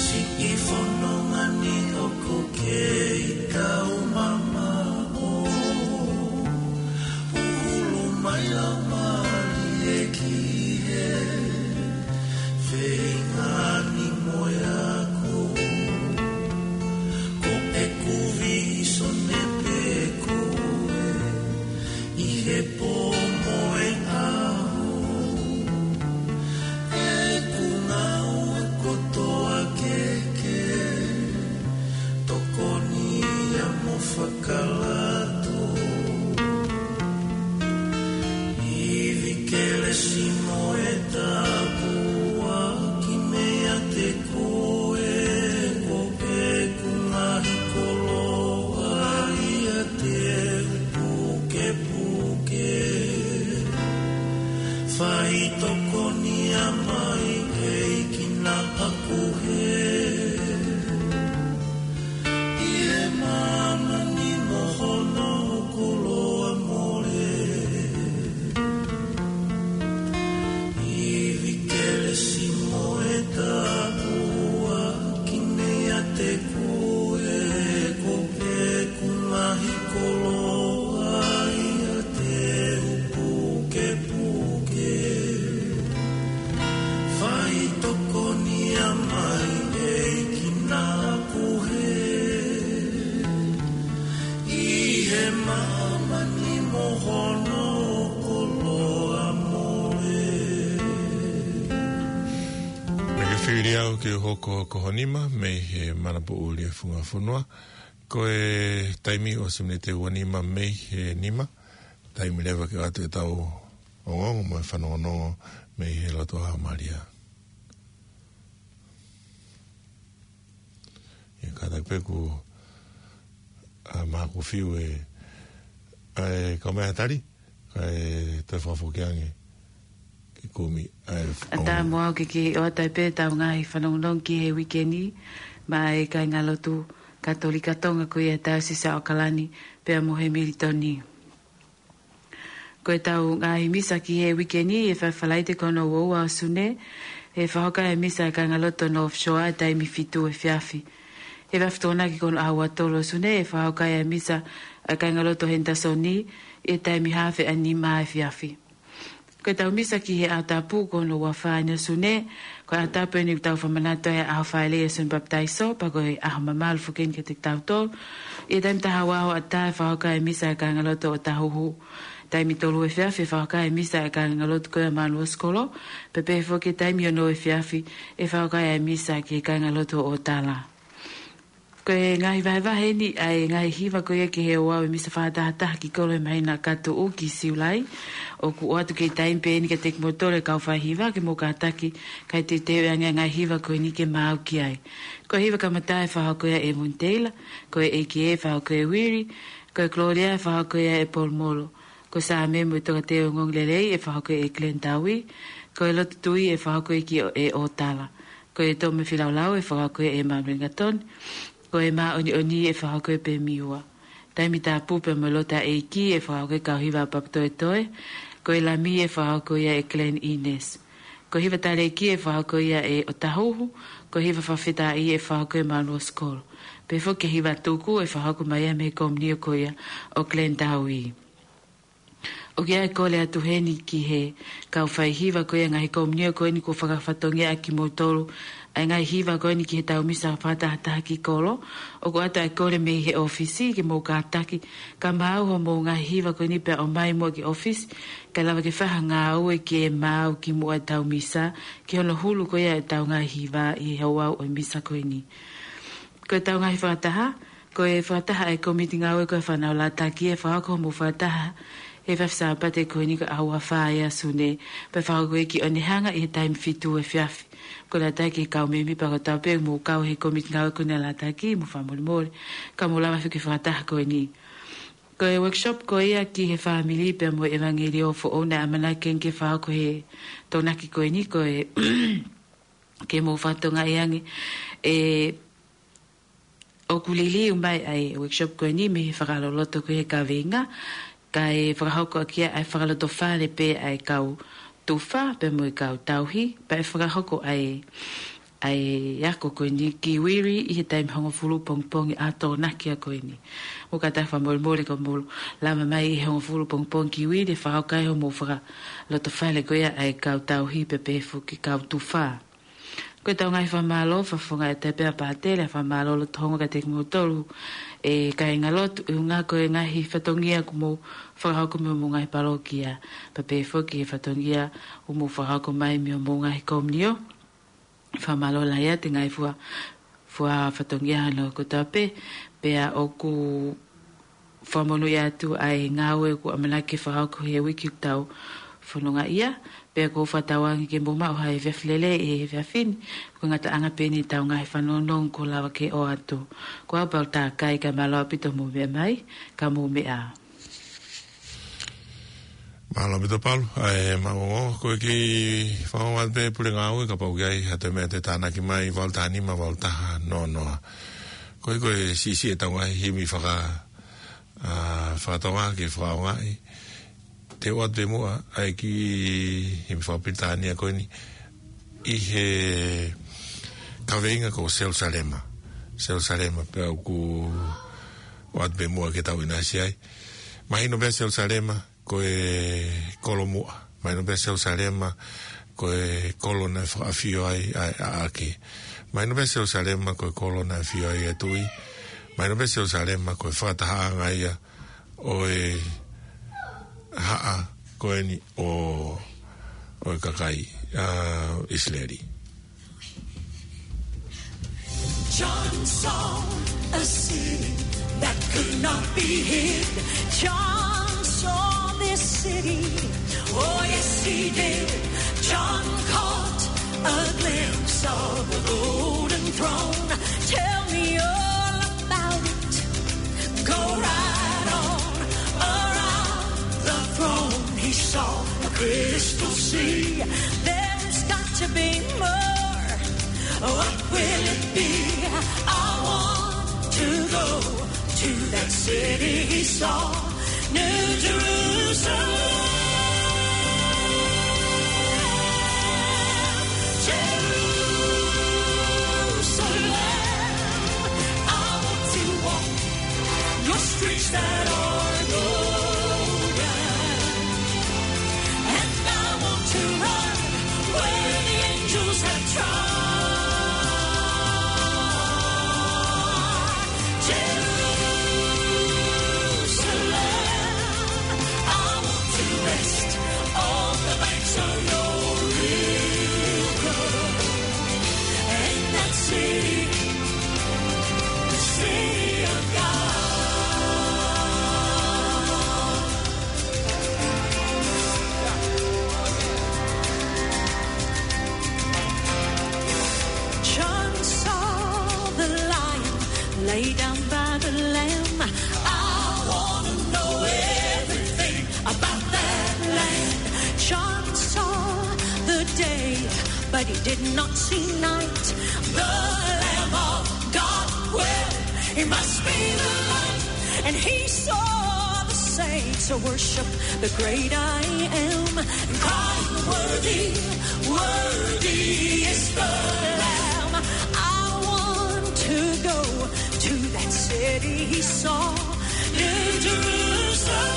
Siʻi fononga ni ʻoku kei taumamaʻo. Hulu mai lau mālie ki he feinga ni mo e ako. Ko ʻeku vīsone pē koe ʻi he pō mo e ʻaho. ʻEku ngāue kotoa ke ke tokoni ia mo fakalato. Ivi kelesi mo e tāpuaki meiate koe, ko ʻeku ngaahi koloa ia te u pukepuke. Faitokoni mai ʻEiki naʻa ku hē, ʻi he māmani mo hono koloa mole. Ivi kelesi mo e tāpuaki meiate koe, ko ʻeku ngaahi koloa ia te u pukepuke. Faitokoni mai ʻEiki naʻa ku hē, ʻi he māmani mo hono koloa mole. Naʻa ke fili au ke u hoko ko ho nima mei he Manapoʻuli ʻa e Funga Fonua. Ko e taimi ʻosi miniti ʻe ua nima mei he nima. Taimi leva ke ʻoatu ʻetau ongoongo mo e fanongonongo mei he lotu ʻa Malia. ʻIa, kātaki pē kuo ʻā mai ʻeku fiu ē, ʻa e kau meʻa tali, kae toe fakafoki ange ke kumi ʻa e ʻatā mo au ke ke ʻoatu ai pē ʻetau ngaahi fanongonongo ki he uike ni, maʻa e kāingalotu Katolika Tonga ko ia ʻa e Taiosisi ʻo ʻAokalani, pea mo Hemilitoni. Ko ʻetau ngaahi misa ki he uike ni, ʻe fai Falaite ko hono ua ua ʻo Sune, ʻe fakahoko ai e misa ʻa e kāingalotu North Shore ʻi he taimi fitu efiafi. ʻE fai Tokonaki ko hono ʻaho ua tolu ʻo Sune, ʻe fakahoko ai e misa ʻa e kāingalotu Henderson ʻi he taimi haafe ʻa e nima efiafi. Ko ʻetau misa ki he ʻaho Tapu ko hono ua fā ʻo Sune, ko e ʻaho Tapu eni ʻoku tau fakamanatu ai ʻa e ʻaho Fālei ʻo Sune Papitaiso, pea ko e ʻaho mamalu foki eni kiate kitautolu. ʻI he taimi taha ua ʻo e ʻatā ʻe fakahoko ai e misa ʻa e kāingalotu ʻo Otahuhu. Taimi tolu efiafi ʻe fakahoko ai e misa ʻa e kāingalotu ko ia ʻo Manuosikolo, pea pehē foki taimi ono efiafi ʻe fakahoko ai e misa ki he kāingalotu ʻo Otala. Ko e ngaahi vahevahe eni ʻa e ngaahi hiva ko ia ki he ouau ʻo e misa fakatahataha ki kolo he māhina ka tuʻu ki Siulai. ʻOku ʻoatu ki he taimi pē eni kiate kimoutolu e kau faihiva ke mou kātaki kae teuteu ange ʻa e ngaahi hiva ko eni ke maau ki ai. Ko e hiva kamata ʻe fakahoko ia ʻe Evan Taylor, ko e ʻEiki ē ʻe fakahoko ʻe Uiri, ko e Gloria ʻe fakahoko ia ʻe Polomolo, ko e Saame mo e Tokāteline ʻo e Ongoongolelei ʻe fakahoko ʻe Glenn Taui, ko e Lotu Tui ʻe fakahoko ʻe Kiʻo ʻe ʻOtala, ko e Tō mo e Feilaulau ʻe fakahoko ʻe Manuel Ngatoni, ko e Māʻoniʻoni ʻe fakahoko ʻe Pemiua, Taimi Tapu pea mo e Lotu ʻa e ʻEiki ʻe fakahoko ʻe Kauhiva Papatoetoe, ko e Lami ʻe fakahoko ia ʻe Glenn Ines, ko e Hiva Talēkī ʻe fakahoko ia ʻe ʻOtahuhu, ko e Hiva Fakafetaʻi ʻe fakahoko ʻe Manuel Skol, pea foki e Hiva Tuku ʻe fakahoko mai ia mei he komiunio ko ia ʻo Glenn Taui. ʻOku ʻi ai e kole atu heni ki he kau faihiva ko ia ʻa e ngaahi komiunio ko eni kuo fakafatongia ʻaki kimoutolu ʻa e ngaahi hiva ko eni ki he tau misa fakatahataha ki kolo. ʻOku ʻoatu ʻa e kole mei he ʻōfisi ke mou kātaki kae maau hoʻomou ngaahi hiva ko eni pea ʻomai muʻa ki he ʻōfisi, kae lava ke fai ha ngāue ke maau kimuʻa e tau misa ki hono hulu ko ia e tau ngaahi hiva ʻi he ouau ʻo e misa ko eni. Ko e tau ngaahi fakataha, ko e fakataha ʻa e kōmiti ngāue ko e fānau lātaki ʻe fakahoko hoʻomou fakataha he efiafi Sāpate ko eni ko e ʻaho ua fā ʻo Sune, pea fakahoko ia ki ʻOnehunga ʻi he taimi fitu efiafi. Ko e lātaki e kau mēmipa kotoa pē ʻoku mou kau he kōmiti ngāue ko eni lātaki, mou fakamolemole, ka mou lava foki e fakataha ko eni. Ko e workshop ko ia ki he fāmili pea mo e ʻevangeliō foʻou naʻe ʻamanaki ke fakahoko he Tokonaki ko eni ko e ke mou fakatokangaʻi ange ʻe ʻoku liliu mai ʻa e workshop ko eni mei he fakaloloto ko ia e kaveinga, kae fakahoko ʻaki ia ʻa e fakalotofale pē ʻa e kau tufa pea mo e kau tauhi, pea ʻe fakahoko ʻa e, ʻa e ako ko eni ki Uiri ʻi he taimi hongofulu pongipongi ʻa e Tokonaki ko eni. Mou kātaki fakamolemole ka mou lava mai ʻi he hongofulu pongipongi ki Uiri ʻe fakahoko ai hoʻomou fakalotofale ko ia ʻa e kau tauhi pea pehē foki kau tufa. Ko e tau ngaahi fakamālō, fakafofonga ʻe Tepea Pātele, fakamālō loto hongofulu kiate kimoutolu e kāingalotu, ʻuhinga ko e ngaahi fatongia kuo mou fakahoko mei hoʻomou ngaahi palokia, pea pehē foki e fatongia kuo mou fakahoko mai mei hoʻomou ngaahi komiunio. Fakamālō lahi atu e ngaahi fua, fua fatongia hono kotoa pē, pea ʻoku fakamonūʻia atu ʻa e ngāue kuo ʻamanaki ke fakahoko he uike ʻoku tau fononga ai, pea ʻoku ou fakatauange ke mou maʻu ha efiafi lelei he efiafi ni, ko e ngataʻanga pē eni e tau ngaahi fanongo kuo lava ke ʻoatu. Ko au Paula Takai, kae mālō ʻaupito hoʻomou meʻa mai, ka mou meʻa ā. Mālō ʻaupito Paula, ʻa e maʻu ongo, ko e kiʻi fakaongo atu pē Pule Ngāue kapau ʻoku ʻi ai ha toe meʻa te tānaki mai, valu taha nima, valu taha noa noa. Ko e, ko e siʻisiʻi e tau ngaahi himi faka-, ʻa, faka-Tonga ke fakaongoʻi. Te u ʻoatu pē muʻa ʻa e kiʻi himi faka-Pilitānia ko eni ʻi he kaveinga ko Selusalema. Selusalema, pea ʻoku ou ʻoatu pē muʻa ke tau ʻinasi ai. Mahino pē Selusalema ko e kolo muʻa. Mahino pē Selusalema ko e kolo naʻe fakaʻafio ai ʻa e ʻAʻake. Mahino pē Selusalema ko e kolo naʻe ʻafio ai ʻa e Tuʻi. Mahino pē Selusalema ko e fakatahaʻanga ia ʻo e haʻa ko eni ʻo, ʻo e kakai, ʻa, ʻIsileli. John saw a city that could not be hid. John saw this city. Oh, yes, he did. John caught a glimpse of the golden throne. Tell me all about it. Go right on around the throne. He saw a crystal sea. There's got to be more. What will it be? I want to go to that city he saw, New Jerusalem. Jerusalem, I want to walk your streets that are golden. And I want to run where the angels have trod. Jerusalem, I want to Lay down by the Lamb. I wanna know everything about that Lamb. John saw the day, but he did not see night. The Lamb of God, well, he must be the light. And he saw the saints worship the great I Am, and crying, "Worthy, worthy is the Lamb." I want to go to that city he saw, New Jerusalem.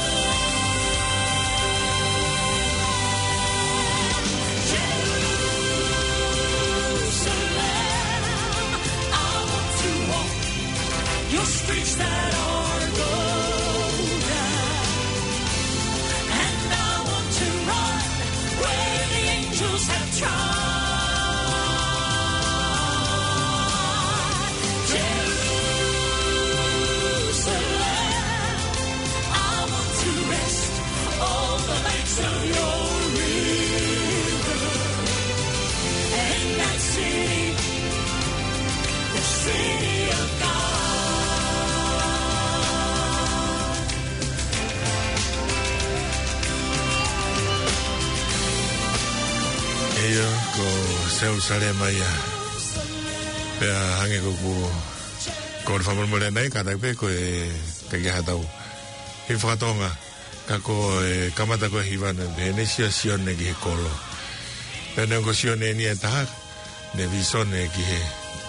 Jerusalem, I want to walk your streets that are golden. And I want to run where the angels have trod. Jerusalem, I want to rest on the banks of your river. And that city, the city of God. ʻIo, ko Selusalema ia. Pea hangē ko ʻeku kole fakamolemole ʻanenai, kātaki pē ko e, ʻikai ke ʻi ai haʻatau hiva faka-Tonga. Ka ko e kamata ko e hiva naʻe pehē ni, Sio, Sione ki he kolo. Pea neongo Sione eni ʻe taha, naʻe vīsone ki he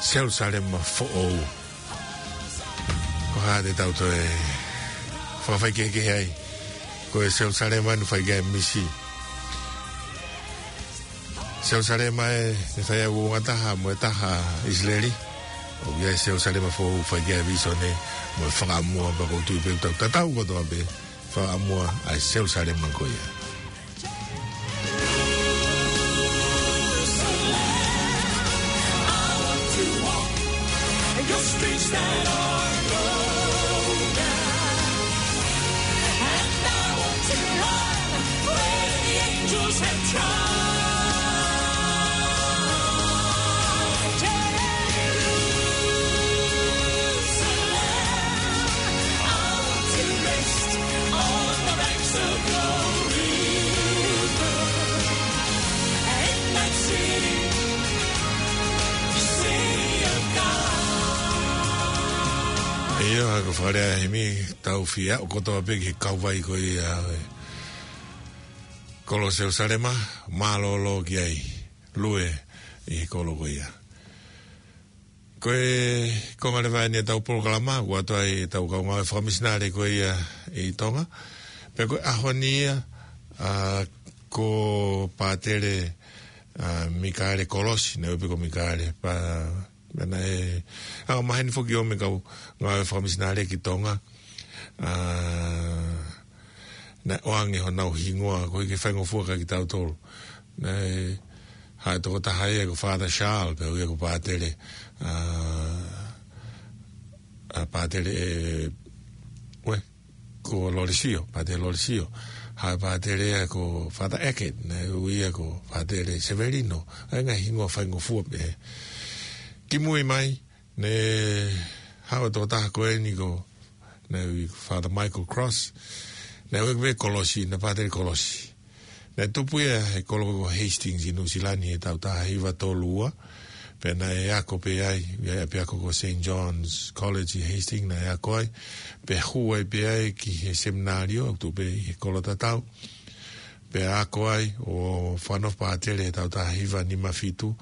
Selusalema foʻou. Ko e hā te tau toe fakafaikehekehe ai? Ko e Selusalema naʻe fai ki ai e misi. Selusalema ē, naʻe fai ai e uouangataha mo e taha ʻa ʻIsileli. ʻOku ʻi ai e Selusalema foʻou, fai ki ai e vīsone mo e fakaʻamua, pea ʻoku ou tui pē ʻoku tau tatau kotoa pē fakaʻamua ʻa e Selusalema ko ia. Your streets that are golden, and I want to run where the angels have trod. Jerusalem, I want to rest on the banks of your river. And that city, city of God. ʻIo, ʻa ia ko e fakalea ʻa e himi, tau fie aʻu kotoa pē ki he kauvai ko ia ʻo e kolo Selusalema, mālōlō ki ai, lue ʻi he kolo ko ia. Ko e konga leva eni ʻetau polokalama, kuo ʻoatu ai ʻetau kau ngāue fakamisinale ko ia ʻi Tonga. Pea ko e ʻaho ni ia, ʻa, ko Pātele, ʻa, Mikaele Kolosi, naʻe ui pē ko Mikaele, pea, pea naʻe, ʻa, maheni foki ʻo e kau ngāue fakamisinale ki Tonga. ʻA, naʻe ʻoange honau hingoa, koeʻuhi ke faingofua kiate kitautolu. Naʻe haʻu e tokotaha ia ko Father Charles, pea ui ia ko Pātele, ʻa, ʻa, Pātele ē, ue, ko Lolesio, Pātele Lolesio. Haʻu e pātele ia ko Father Hackett, naʻe ui ia ko Pātele Severino. ʻA e ngaahi hingoa faingofua pē. Kimui mai, naʻe haʻu e tokotaha ko eni ko, naʻe ui Father Michael Cross. Naʻe ui pē Kolosi, naʻe Pātele Kolosi. Naʻe tupu ia he kolo ko Hastings ʻi Nuʻusila ni he taʻu taha hiva tolu ua. Pea naʻe ako pē ai, ʻi he ʻapiako ko Saint John's College ʻi Hastings naʻe ako ai. Pea hū ai pē ai ki he seminalio, ʻoku tuʻu pē ʻi he kolo tatau. Pea ako ai ʻo fakanofo pātele he taʻu taha hiva nima fitu.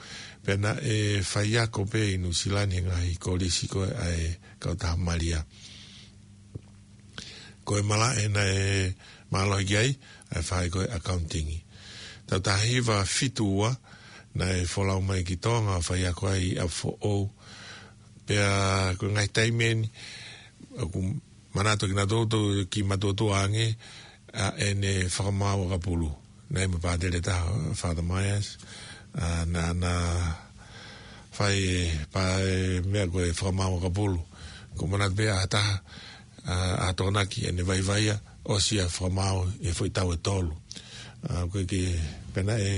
Pea naʻe faiako pē ʻi Nuʻusila ni he ngaahi kolisi ko ē ʻa e kautaha Malia. Ko e malaʻe naʻe mālohi ki ai, ʻa e fai ko ē accounting. Taʻu taha hiva fitu ua, naʻe folau mai ki Tonga, faiako ai ʻi ʻApifoʻou. Pea ko e ngaahi taimi eni, ʻoku manatu kiate kinautolu, ki matuʻotuʻa ange, ʻa ʻene fakamaau ʻakapulu. Naʻe ʻi ai mo e pātele ʻe taha, Father Myers, ʻa, naʻa na fai e pā e meʻa ko e fakamaau ʻakapulu. ʻOku ou manatu pē ʻa ha taha, ʻa, ʻa Tokonaki ʻene vaivai ia, ʻosi ia fakamaau he foʻi taʻu ʻe tolu. ʻA, ko e ke pehē naʻe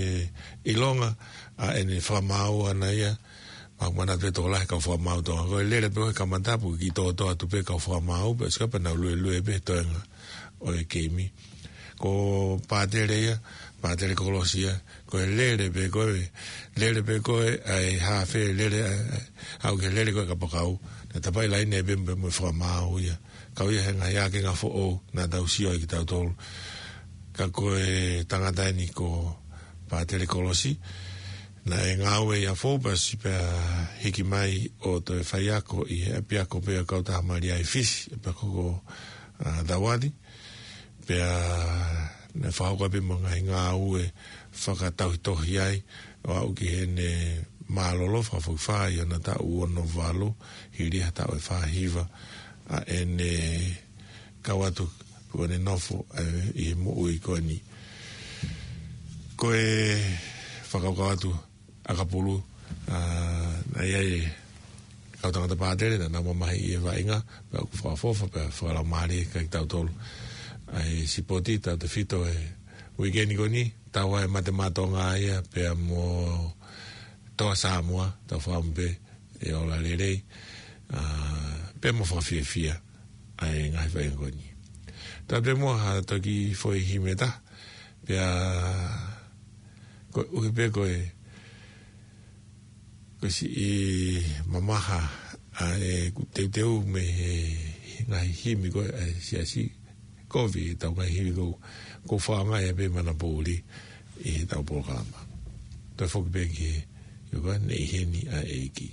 ʻilonga ʻa ʻene fakamaau ʻaʻana ia, Mau manatu pē tokolahi kau fakamaau Tonga. Ko e lele pē ko ē he kamata pē ki tōtō atu pē kau fakamaau pē, sika pē nau luelue pē toenga ʻo e keimi. Ko Pātele ia, Pātele Kolosi ia, ko e lele pē ko ē, lele pē ko ē ʻa e haafe, lele ʻa, ʻa, ʻau ke lele ko ē kapakau. Naʻe tapaʻi laine pē mo, mo fakamaau ia. Kau ia he ngaahi ake ngā foʻou, naʻa tau sio ai kitautolu. Ka ko e tangata eni ko Pātele Kolosi, naʻe ngāue ʻi he Fōpasi pea hiki mai ʻo toe faiako ʻi he ʻapiako pē ʻa e Kautaha Malia ʻi Fisi, ʻapiako ko, ʻa, Tauati. Pea naʻe fakahoko pē mo e ngaahi ngāue fakatauhitohi ai, ʻo aʻu ki heʻene mālōlō fakafokifā ʻi hona taʻu ono valu, hili ha taʻu ʻe fā hiva ʻa ʻene kau atu ko ʻene nofo, ē, ʻi he moʻui ko eni. Ko e fakakaukau atu ʻakapulu, ʻa, naʻe ʻi ai e kau tangata Pātele, naʻa nau mamahi ʻi he vaʻinga, pea ʻoku fakaʻofoʻofa, pea fakalaumālie kiate kitautolu. ʻA e sipoti, tautefito he uikeʻeni ko eni, tau ʻai mate mātoʻonga ia, pea mo Toa Samoa, tau fakaʻamu pē ʻe ola lelei, ʻa, pea mo fakafiefia ʻa e ngaahi vaʻinga ko eni. Tau pē mo ha toki foʻi himi ʻe taha, pea koeʻuhi pē ko e, ko e siʻi mamaha ʻa ʻeku teuteu mei he ngaahi himi ko ē ʻa e siasi, kovi ʻetau ngaahi himi ko, ko e fakaʻaongaʻi pē manapoʻuli ʻi heʻetau polokalama. Toe foki pē ki he, ʻio ka ne ʻi heni ʻa e ʻEiki.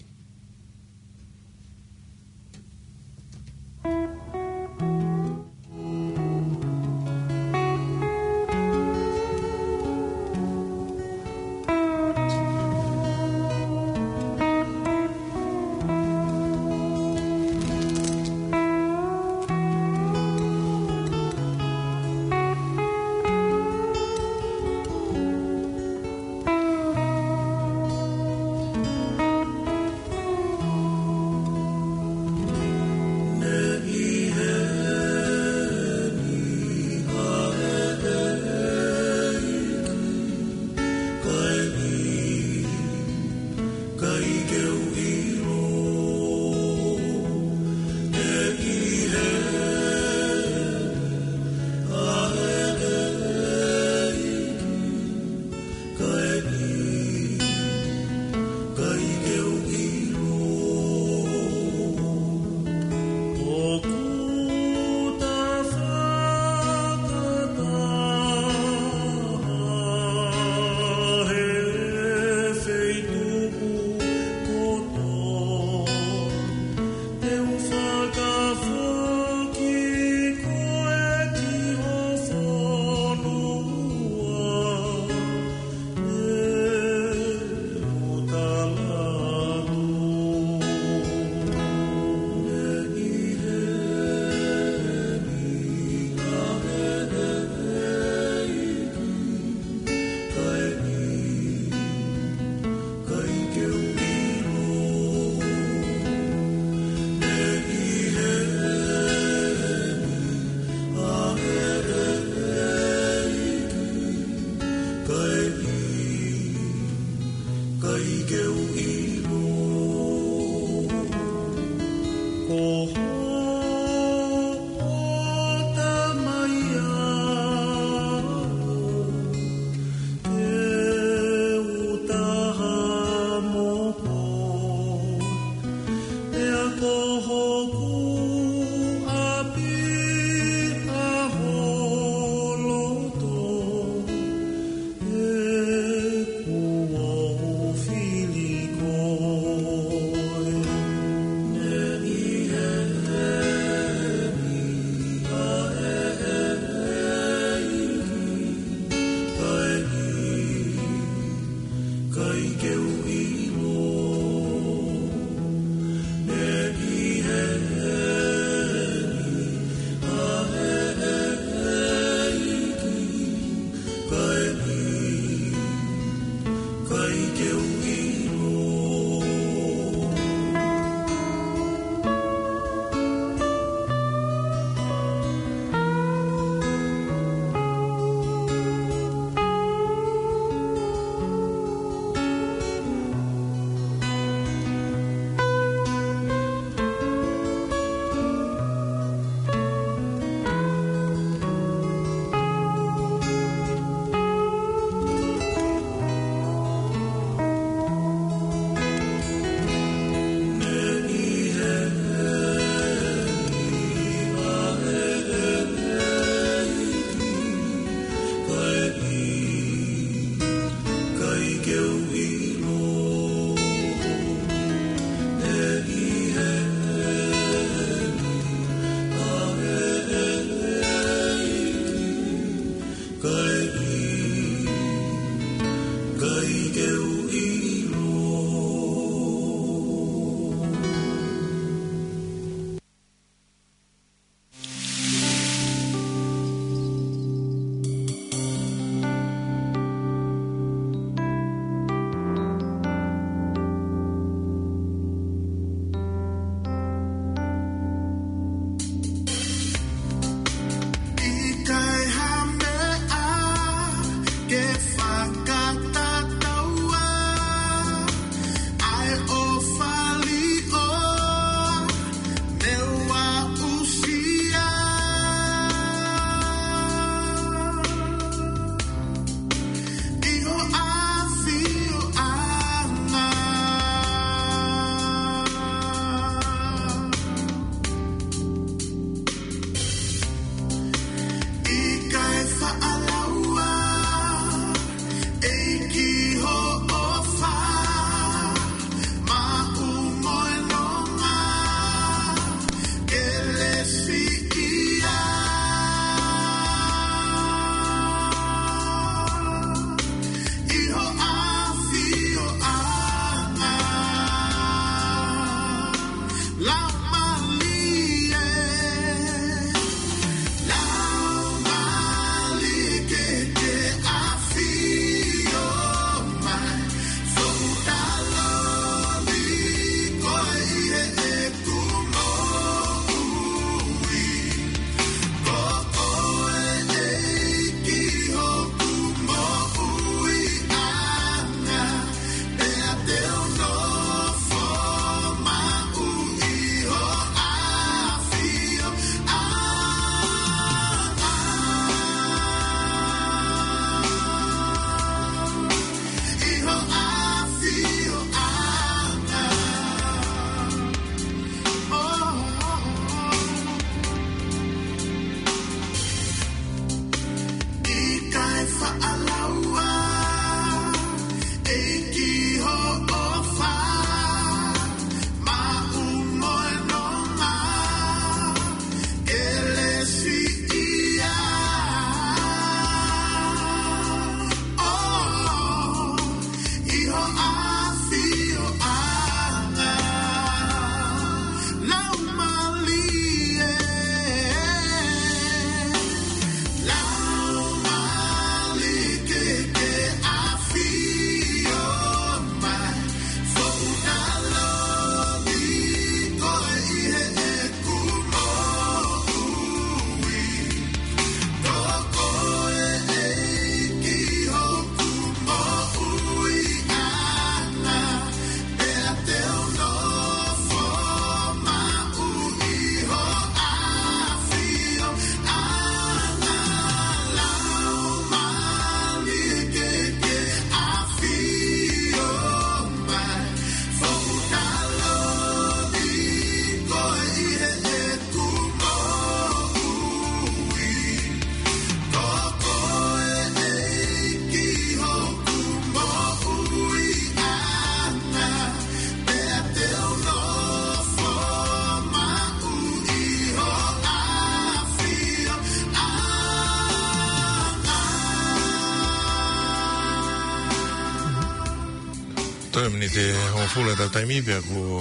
Ke hongofulu ʻetau taimi pea ʻoku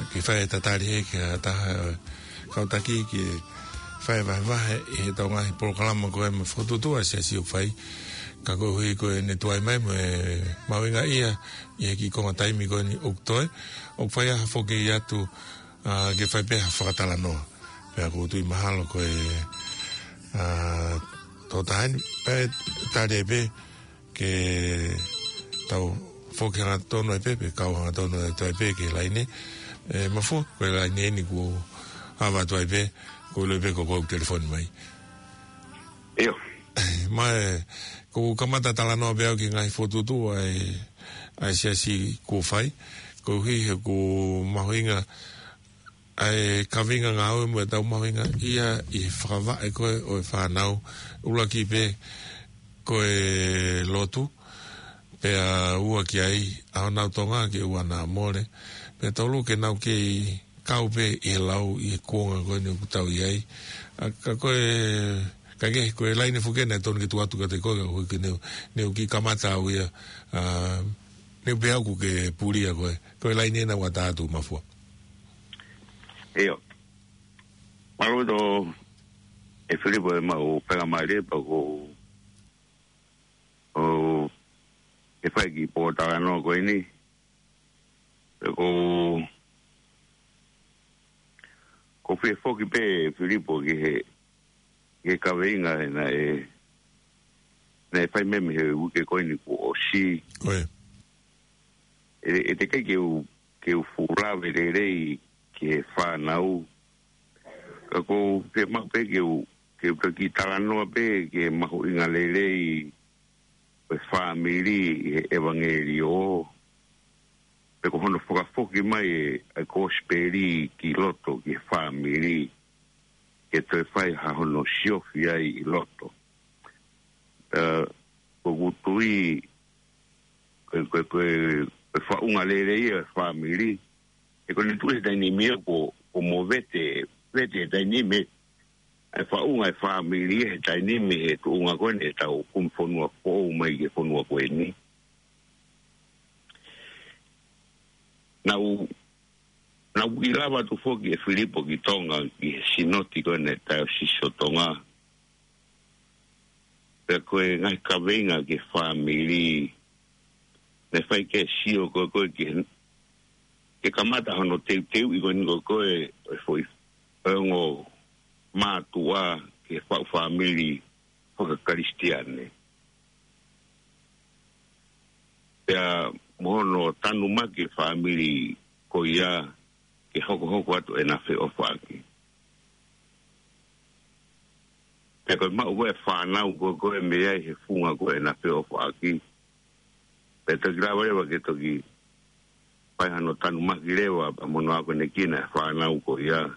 ke fai e tatali he ki ha taha kau taki ke fai vahevahe ʻi heʻetau ngaahi polokalama ko ē mo e fokotuʻutuʻu ʻa e Siasi ʻoku fai. Ka koeʻuhi ko ʻene tuai mai mo e mahuʻingaʻia ʻi he kiʻi konga taimi ko eni ʻoku toe, ʻoku fai ha foki atu, ā, ke fai pē ha fakatalanoa. Pea ʻoku ou tui mahalo ko e, ā, tō taha eni, pea tali ai pē, ke tau foki hangatonu ai pē, pe kau hangatonu atu ai pē ki he laine. ʻE, Mafua, ko e laine eni kuo hava atu ai pē, ko e ʻilo pē ko koe ʻoku telefoni mai. ʻIo. Mai, ʻoku kamata talanoa pē au ki he ngaahi fokotuʻutuʻu ʻa e, ʻa e Siasi kuo fai, koeʻuhi he ʻoku mahuʻinga ʻa e kaveinga ngāue mo ʻetau mahuʻingaʻia ʻi he fakavaʻe ko ē ʻo e fānau, ʻuluaki pē ko e lotu, pea ua ki ai ʻa honau Tonga ke ʻoua naʻa mole, pea tolu ke nau kei kau pē ʻi he lau ʻi he kuonga ko eni ʻoku tau ʻi ai. ʻA, ka ko e, ka ke, ko e laine foki eni naʻe tonu ke tuku atu kiate koe, ka ʻoku ke neu, neu kiʻi kamata au ia, ā, neu pehē au ʻoku ke pulia koe. Ko e laine ena ʻoku ʻatā atu, Mafua. ʻIo. Mālō ʻaupito, ʻe Filipo, ʻemau faingamālie pea ʻoku ou, ʻoku ke fai e kiʻi pōtalanoa ko eni. Pea ʻoku ou, ʻoku ou fie foki pē, Filipo, ki he, ki he kaveinga ena ʻe, naʻe fai mei he uike ko eni kuo ʻosi. Ko ia. ʻE, ʻe teʻeki ai ke u, ke u fuʻu lave lelei ki he fānau. Ka ʻoku ou fiemaʻu pē ke u, ke u toki talanoa pē ki he mahuʻinga lelei ʻo e fāmili ʻi he ʻevangeliō. Pea ko hono fakafoki mai ʻa e kosipeli ki loto ki he fāmili, ke toe fai ha hono siofi ai ʻi loto. Ā, ʻoku ou tui, ko e, ko e, ko e, ko e faʻunga lelei ia ʻo e fāmili. He ko ʻene tuʻu he taimi ni ia ko, ko e movete, vete he taimi ni ia ʻa e faʻunga ʻo e fāmili he taimi ni he tuʻunga ko eni ʻetau kumi fonua foʻou mai ki he fonua ko eni. Naʻá ku, naʻá ku kiʻi lava atu foki, ʻe Filipo, ki Tonga, ki he sinoti ko eni ʻa e Taiosisi ʻo Tonga. Pea ko e ngaahi kaveinga ki he fāmili, naʻe fai ke sio ko ē ko ē ki he, ke kamata hono teuteuʻi ko eni ko ē ko ē ʻo e foʻi, ʻo e ongo mātuʻa ki he faʻu fāmili faka-Kalisitiane. Pea mo hono tanumaki e fāmili ko ia ke hokohoko atu ʻena feʻofaʻaki. Pea ko e maʻu ko ē ʻa e fānau ko ē ko ē mei ai he funga ko ē ʻena feʻofaʻaki, pea toki lava leva ke toki fai hano tanumaki leva pea mo hono akonekina e fānau ko ia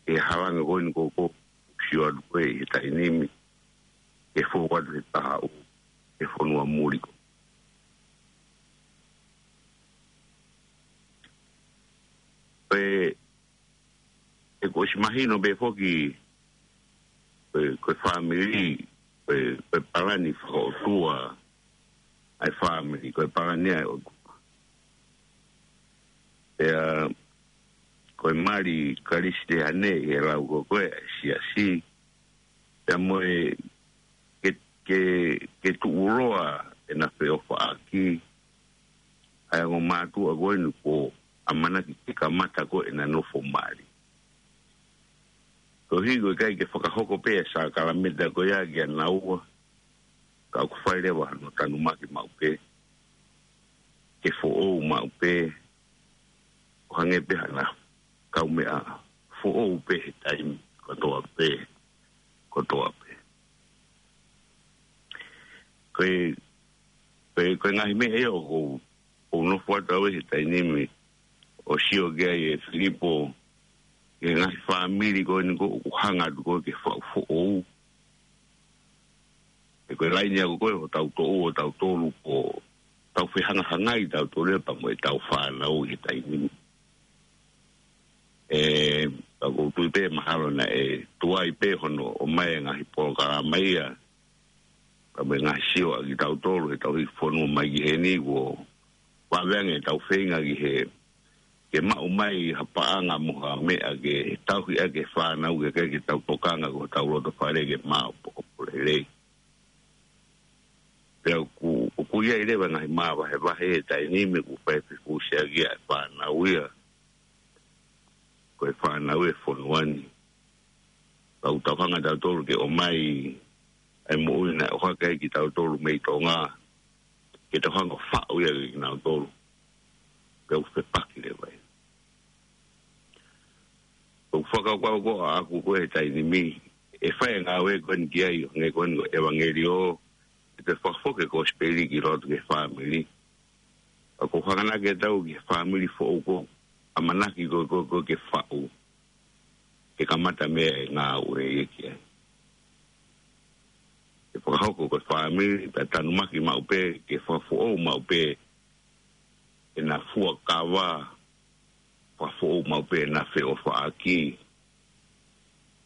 ʻi he halanga ko eni ko ē ʻoku sio atu ko ē ʻi he taimi ni, ke fou atu he taha ʻo e fonua muli ko. Pea ʻoku ʻosi mahino pē foki, ko e, ko e fāmili, ko e, ko e palani fakaʻotua ʻa e fāmili, ko e palani ʻa e ʻOtua. Pea ko e mali Kalisitiane ʻi he lau ko ē ko ē ʻa e siasi, pea mo e ke, ke, ke tuʻuloa ʻena feʻofaʻaki ʻa e ongo mātuʻa ko eni kuo ʻamanaki ke kamata ko ē ʻena nofo mali. Koeʻuhi ko e ʻikai ke fakahoko pē ʻa e sākalamēniti ko ia kia naua, ka ʻoku fai leva hano tanumaki maʻu pē, ke foʻou maʻu pē, ʻo hangē pē hano kaumeʻa foʻou pē he taimi kotoa pē, kotoa pē. Ko e, ko e, ko e ngaahi meʻa ia ʻoku ou, ʻoku ou nofo atu au he taimi ni ʻo sio ki ai, ʻe Filipo, ki he ngaahi fāmili ko eni ko ē ʻoku hanga atu ko ē ke faʻu foʻou. He ko e laine ia ko ē ʻoku tau toʻo ʻo tau tolu ko ē, tau fehangahangai tautolu ia pea mo ʻetau fānau he taimi ni. ʻE, ka ʻoku ou tui pē mahalo naʻe tuai pē hono ʻomai e ngaahi polokalama ia, pea mo e ngaahi sio ʻa kitautolu heʻetau hiki fonua mai ki heni, kuo pāveange ʻetau feinga ki he, ke maʻu mai ha paʻanga mo ha meʻa ke tauhi ʻaki e fānau ke, ke, ke tau tokanga ko hotau loto fale ke maʻu poko lelei. Pea ʻoku, ʻoku ʻi ai leva ngaahi māvahevahe he taimi ni ʻoku fai fikusia ki ai e fānau ia. Ko e fānau e fonua ni. Pea ʻoku tau hanga tautolu ke ʻomai ʻa e moʻui naʻe ʻohake ai kitautolu mei Tonga. Ke tau hanga faʻu ia kinautolu. Pea ʻoku fepaki leva ia. ʻOku fakakaukau ko ʻaku ko e taimi ni, ʻe fai e ngāue ko eni ki ai, ʻo hangē ko eni ko e ʻevangeliō, ʻe te fakafoki e kosipeli ki loto ki he fāmili. Ka ʻoku hanga naʻa ke tau ki he fāmili foʻou ko, ʻamanaki ko, ko, ko ke faʻu, ke kamata mei ai e ngāue ia ki ai. Ke fakahoko ko e fāmili, pea tanumaki maʻu pē, ke fakafoʻou maʻu pē, ʻena fuakava, fakafoʻou maʻu pē ʻena feʻofaʻaki.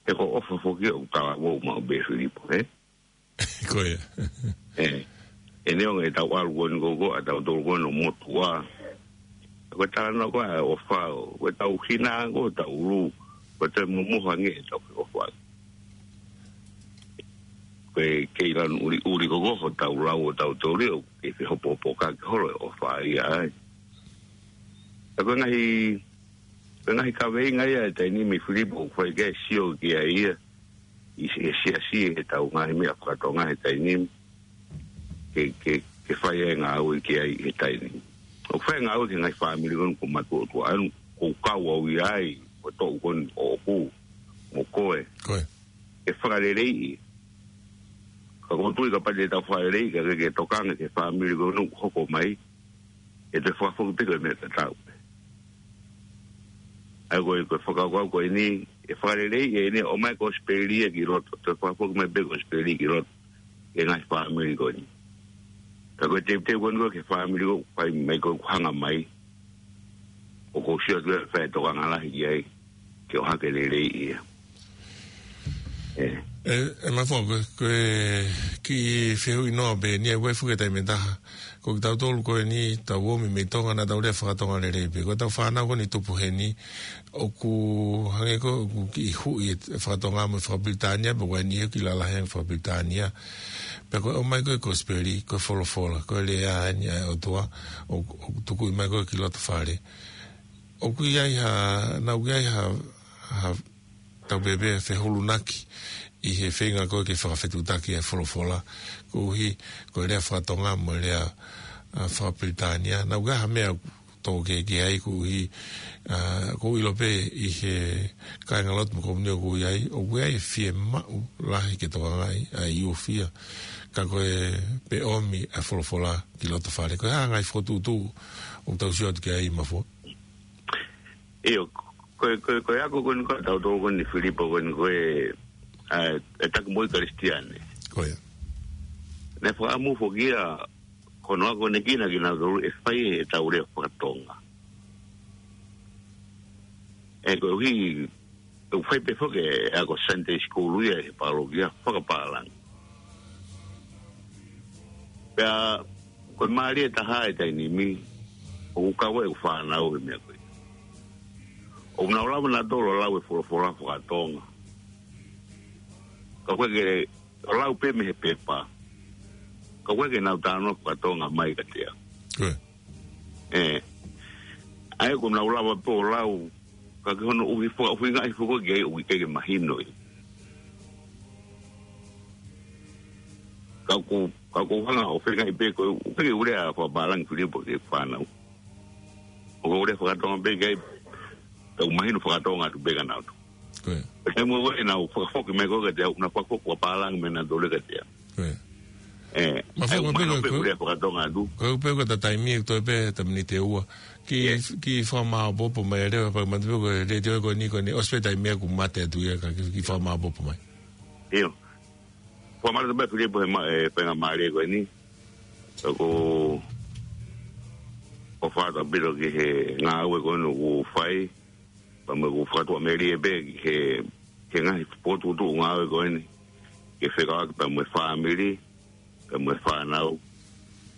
He ko e ʻofa foki ʻoku talavou maʻu pē Filipo, ē? Ko ia. Ē, ʻe neongo ʻetau ʻalu ko eni ko, ko, ʻa tautolu ko eni ʻo motuʻa. Ko e talanoa ko ē ʻofa, ko ʻetau hina, ko ʻetau ʻulu, ko ʻetau momoho ange ʻetau feʻofaʻaki. Ko e kei lanu ʻuliʻuli ko, ko hotau lau ʻo tautolu ʻoku kei fehopohopokaki holo e ʻofa ia ai. Ka ko e ngaahi, ko e ngaahi kaveinga ia e taimi ni mei Filipo ʻoku fai ke sio ki ai ia. ʻI he siasi he tau ngaahi meʻa faka-Tonga he taimi ni. Ke, ke, ke fai e ngāue ki ai he taimi ni. ʻOku fai e ngāue ki he ngaahi fāmili ko eni ko Matuʻotuʻa ʻa eni ʻoku kau au ia ai, ko e toʻu ko eni ʻoʻoku, mo koe. Ko e. Ke fakaleleiʻi. Ka ʻoku ou tui kapau te tau fakaleleiʻi, ka ke, ke tokanga ki he fāmili ko eni ʻoku hoko mai, ʻe te fakafoki pē ko e meʻa tatau. ʻA ia ko e, ko e fakakaukau ko eni, ʻe fakaleleiʻi ʻeni, ʻomai kosipeli ia ki loto, te fakafoki mai pē kosipeli ki loto, ki he ngaahi fāmili ko eni. Ka ko e teuteu ko eni ko e ki he fāmili ko ē, fai mai ko ē ʻoku hanga mai, ʻoku ou sio atu ʻe fai e tokanga lahi ki ai, ke ʻohake lelei ia. Ē. ʻE, ʻe Mafo, ko e, ko e kiʻi fehuʻi noa pē eni, ʻa ia ʻoku ʻi ai foki e taimi ʻe taha. Ko kitautolu ko eni, tau ō mai mei Tonga naʻa tau lea faka-Tonga lelei pē. Ko ʻetau fānau ko eni tupu heni, ʻoku hangē ko ē, ʻoku kiʻi huʻi e faka-Tonga mo e faka-Pilitānia, pea ko eni ʻoku kiʻi lalahi ange faka-Pilitānia. Pea ko e ʻomai ko ē kosipeli, ko e folofola, ko e lea eni ʻa e ʻOtua, ʻo, ʻoku tukuʻi mai ko ē ki loto fale. ʻOku ʻi ai ha, naʻa ʻoku ʻi ai ha, ha tau pehē pē fehulunaki ʻi he feinga ko ē ke fakafetuʻutaki e folofola. Koeʻuhi, ko e lea faka-Tonga mo e lea, ʻa, faka-Pilitānia. Naʻa ʻoku ʻi ai ha meʻa ʻoku tō ke, ke ai koeʻuhi, ʻa, ʻoku ou ʻilo pē ʻi he kāingalotu mo e komiuniti ʻoku ou ʻi ai, ʻoku ʻi ai e fiemaʻu lahi ke tokangaʻi ʻa e ʻiofia. Ka ko e pē ʻomi ʻa e folofola ki loto fale. Ko e hā e ngaahi fokotuʻutuʻu ʻoku tau sio atu ki ai Mafo? ʻIo, ko e, ko e, ko e ako ko eni ko ē ʻa tautolu ko eni Filipo ko eni ko e, ʻa, e taki moʻui Kalisitiane. Ko ia. Naʻe fakaʻamu foki ia ko hono akonekina kinautolu ʻe fai ʻetau lea faka-Tonga. ʻE koeʻuhi, ʻoku fai pē foki e ako Sunday school ia he pālokia fakapālangi. Pea, ko e mālie taha e taimi ni, ʻoku kau ai ʻeku fānau he meʻa ko ia. ʻOku nau lava nautolu ʻo lau e folofola faka-Tonga. Ka ʻoku ʻikai ke, ʻo lau pē mei he pepa. Ka ʻoku ʻikai ke nau talanoa faka-Tonga mai kiate au. Ko ia. Ē. ʻA ia ʻoku nau lava pē ʻo lau, ka ko hono ʻuhi fo-, ʻuhinga ʻi he foʻi ko ē ʻoku ʻikai ke mahino ia. Ka ʻoku, ka ʻoku ou hanga ʻo feingaʻi pē ko e, ʻoku ʻikai ke u lea fakapālangi Filipo ki he fānau. ʻOku ou lea faka-Tonga pē ki ai, ka ʻoku mahino faka-Tonga atu pē kia nautolu. Ko ia. Pea taimi ko ē ʻenau fakafoki mai ko ē kiate au, nau fakafoki fakapālangi mai nautolu kiate au. Ko ia. Ē, Mafo, ʻa ia ʻoku mahino pē ko e, ʻoku ou lea faka-Tonga atu. Ko e pē ko e ta taimi ʻoku toe pē ta miniti ʻe ua. Kiʻi, ʻIo. kiʻi fakamāopoopo mai leva, pea manatu pē ko e letiō ko eni ko eni, ʻosi pē taimi ʻoku mate atu ia ka kiʻi, kiʻi fakamāopoopo mai. ʻIo. Fakamālō atu pē Filipo he ma-, e, faingamālie ko eni. ʻOku ou ʻofa atu ʻaupito ki he ngāue ko eni ʻoku fai. Pea mo ʻeku fakatuʻamelie pē ki he, ki he ngaahi fokotuʻutuʻu ngāue ko eni. Ke fekauʻaki pea mo e fāmili, pea mo e fānau,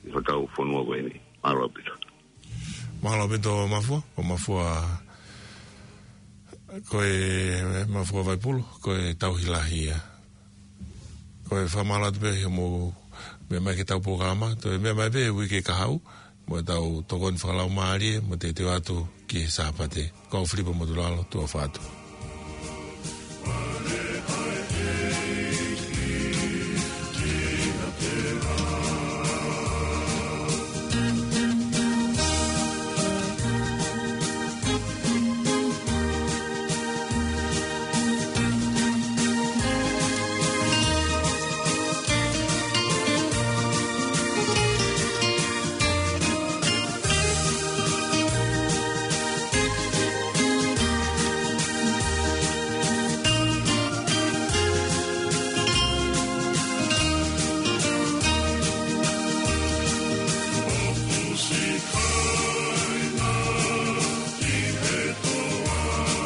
ʻi hotau fonua ko eni. Mālō ʻaupito. Mālō ʻaupito Mafua, ko Mafua, ko e Mafua Vaipulu, ko e tauhi lahi ia. Ko e fakamālō atu pē hoʻomou meʻa mai ki heʻetau polokalama, toe meʻa mai pē he uike kahaʻu, mo ʻetau tokoni fakalaumālie, mo teuteu atu ki he Sāpate. Ko au Filipa Motulalo, tuʻa ʻofa atu.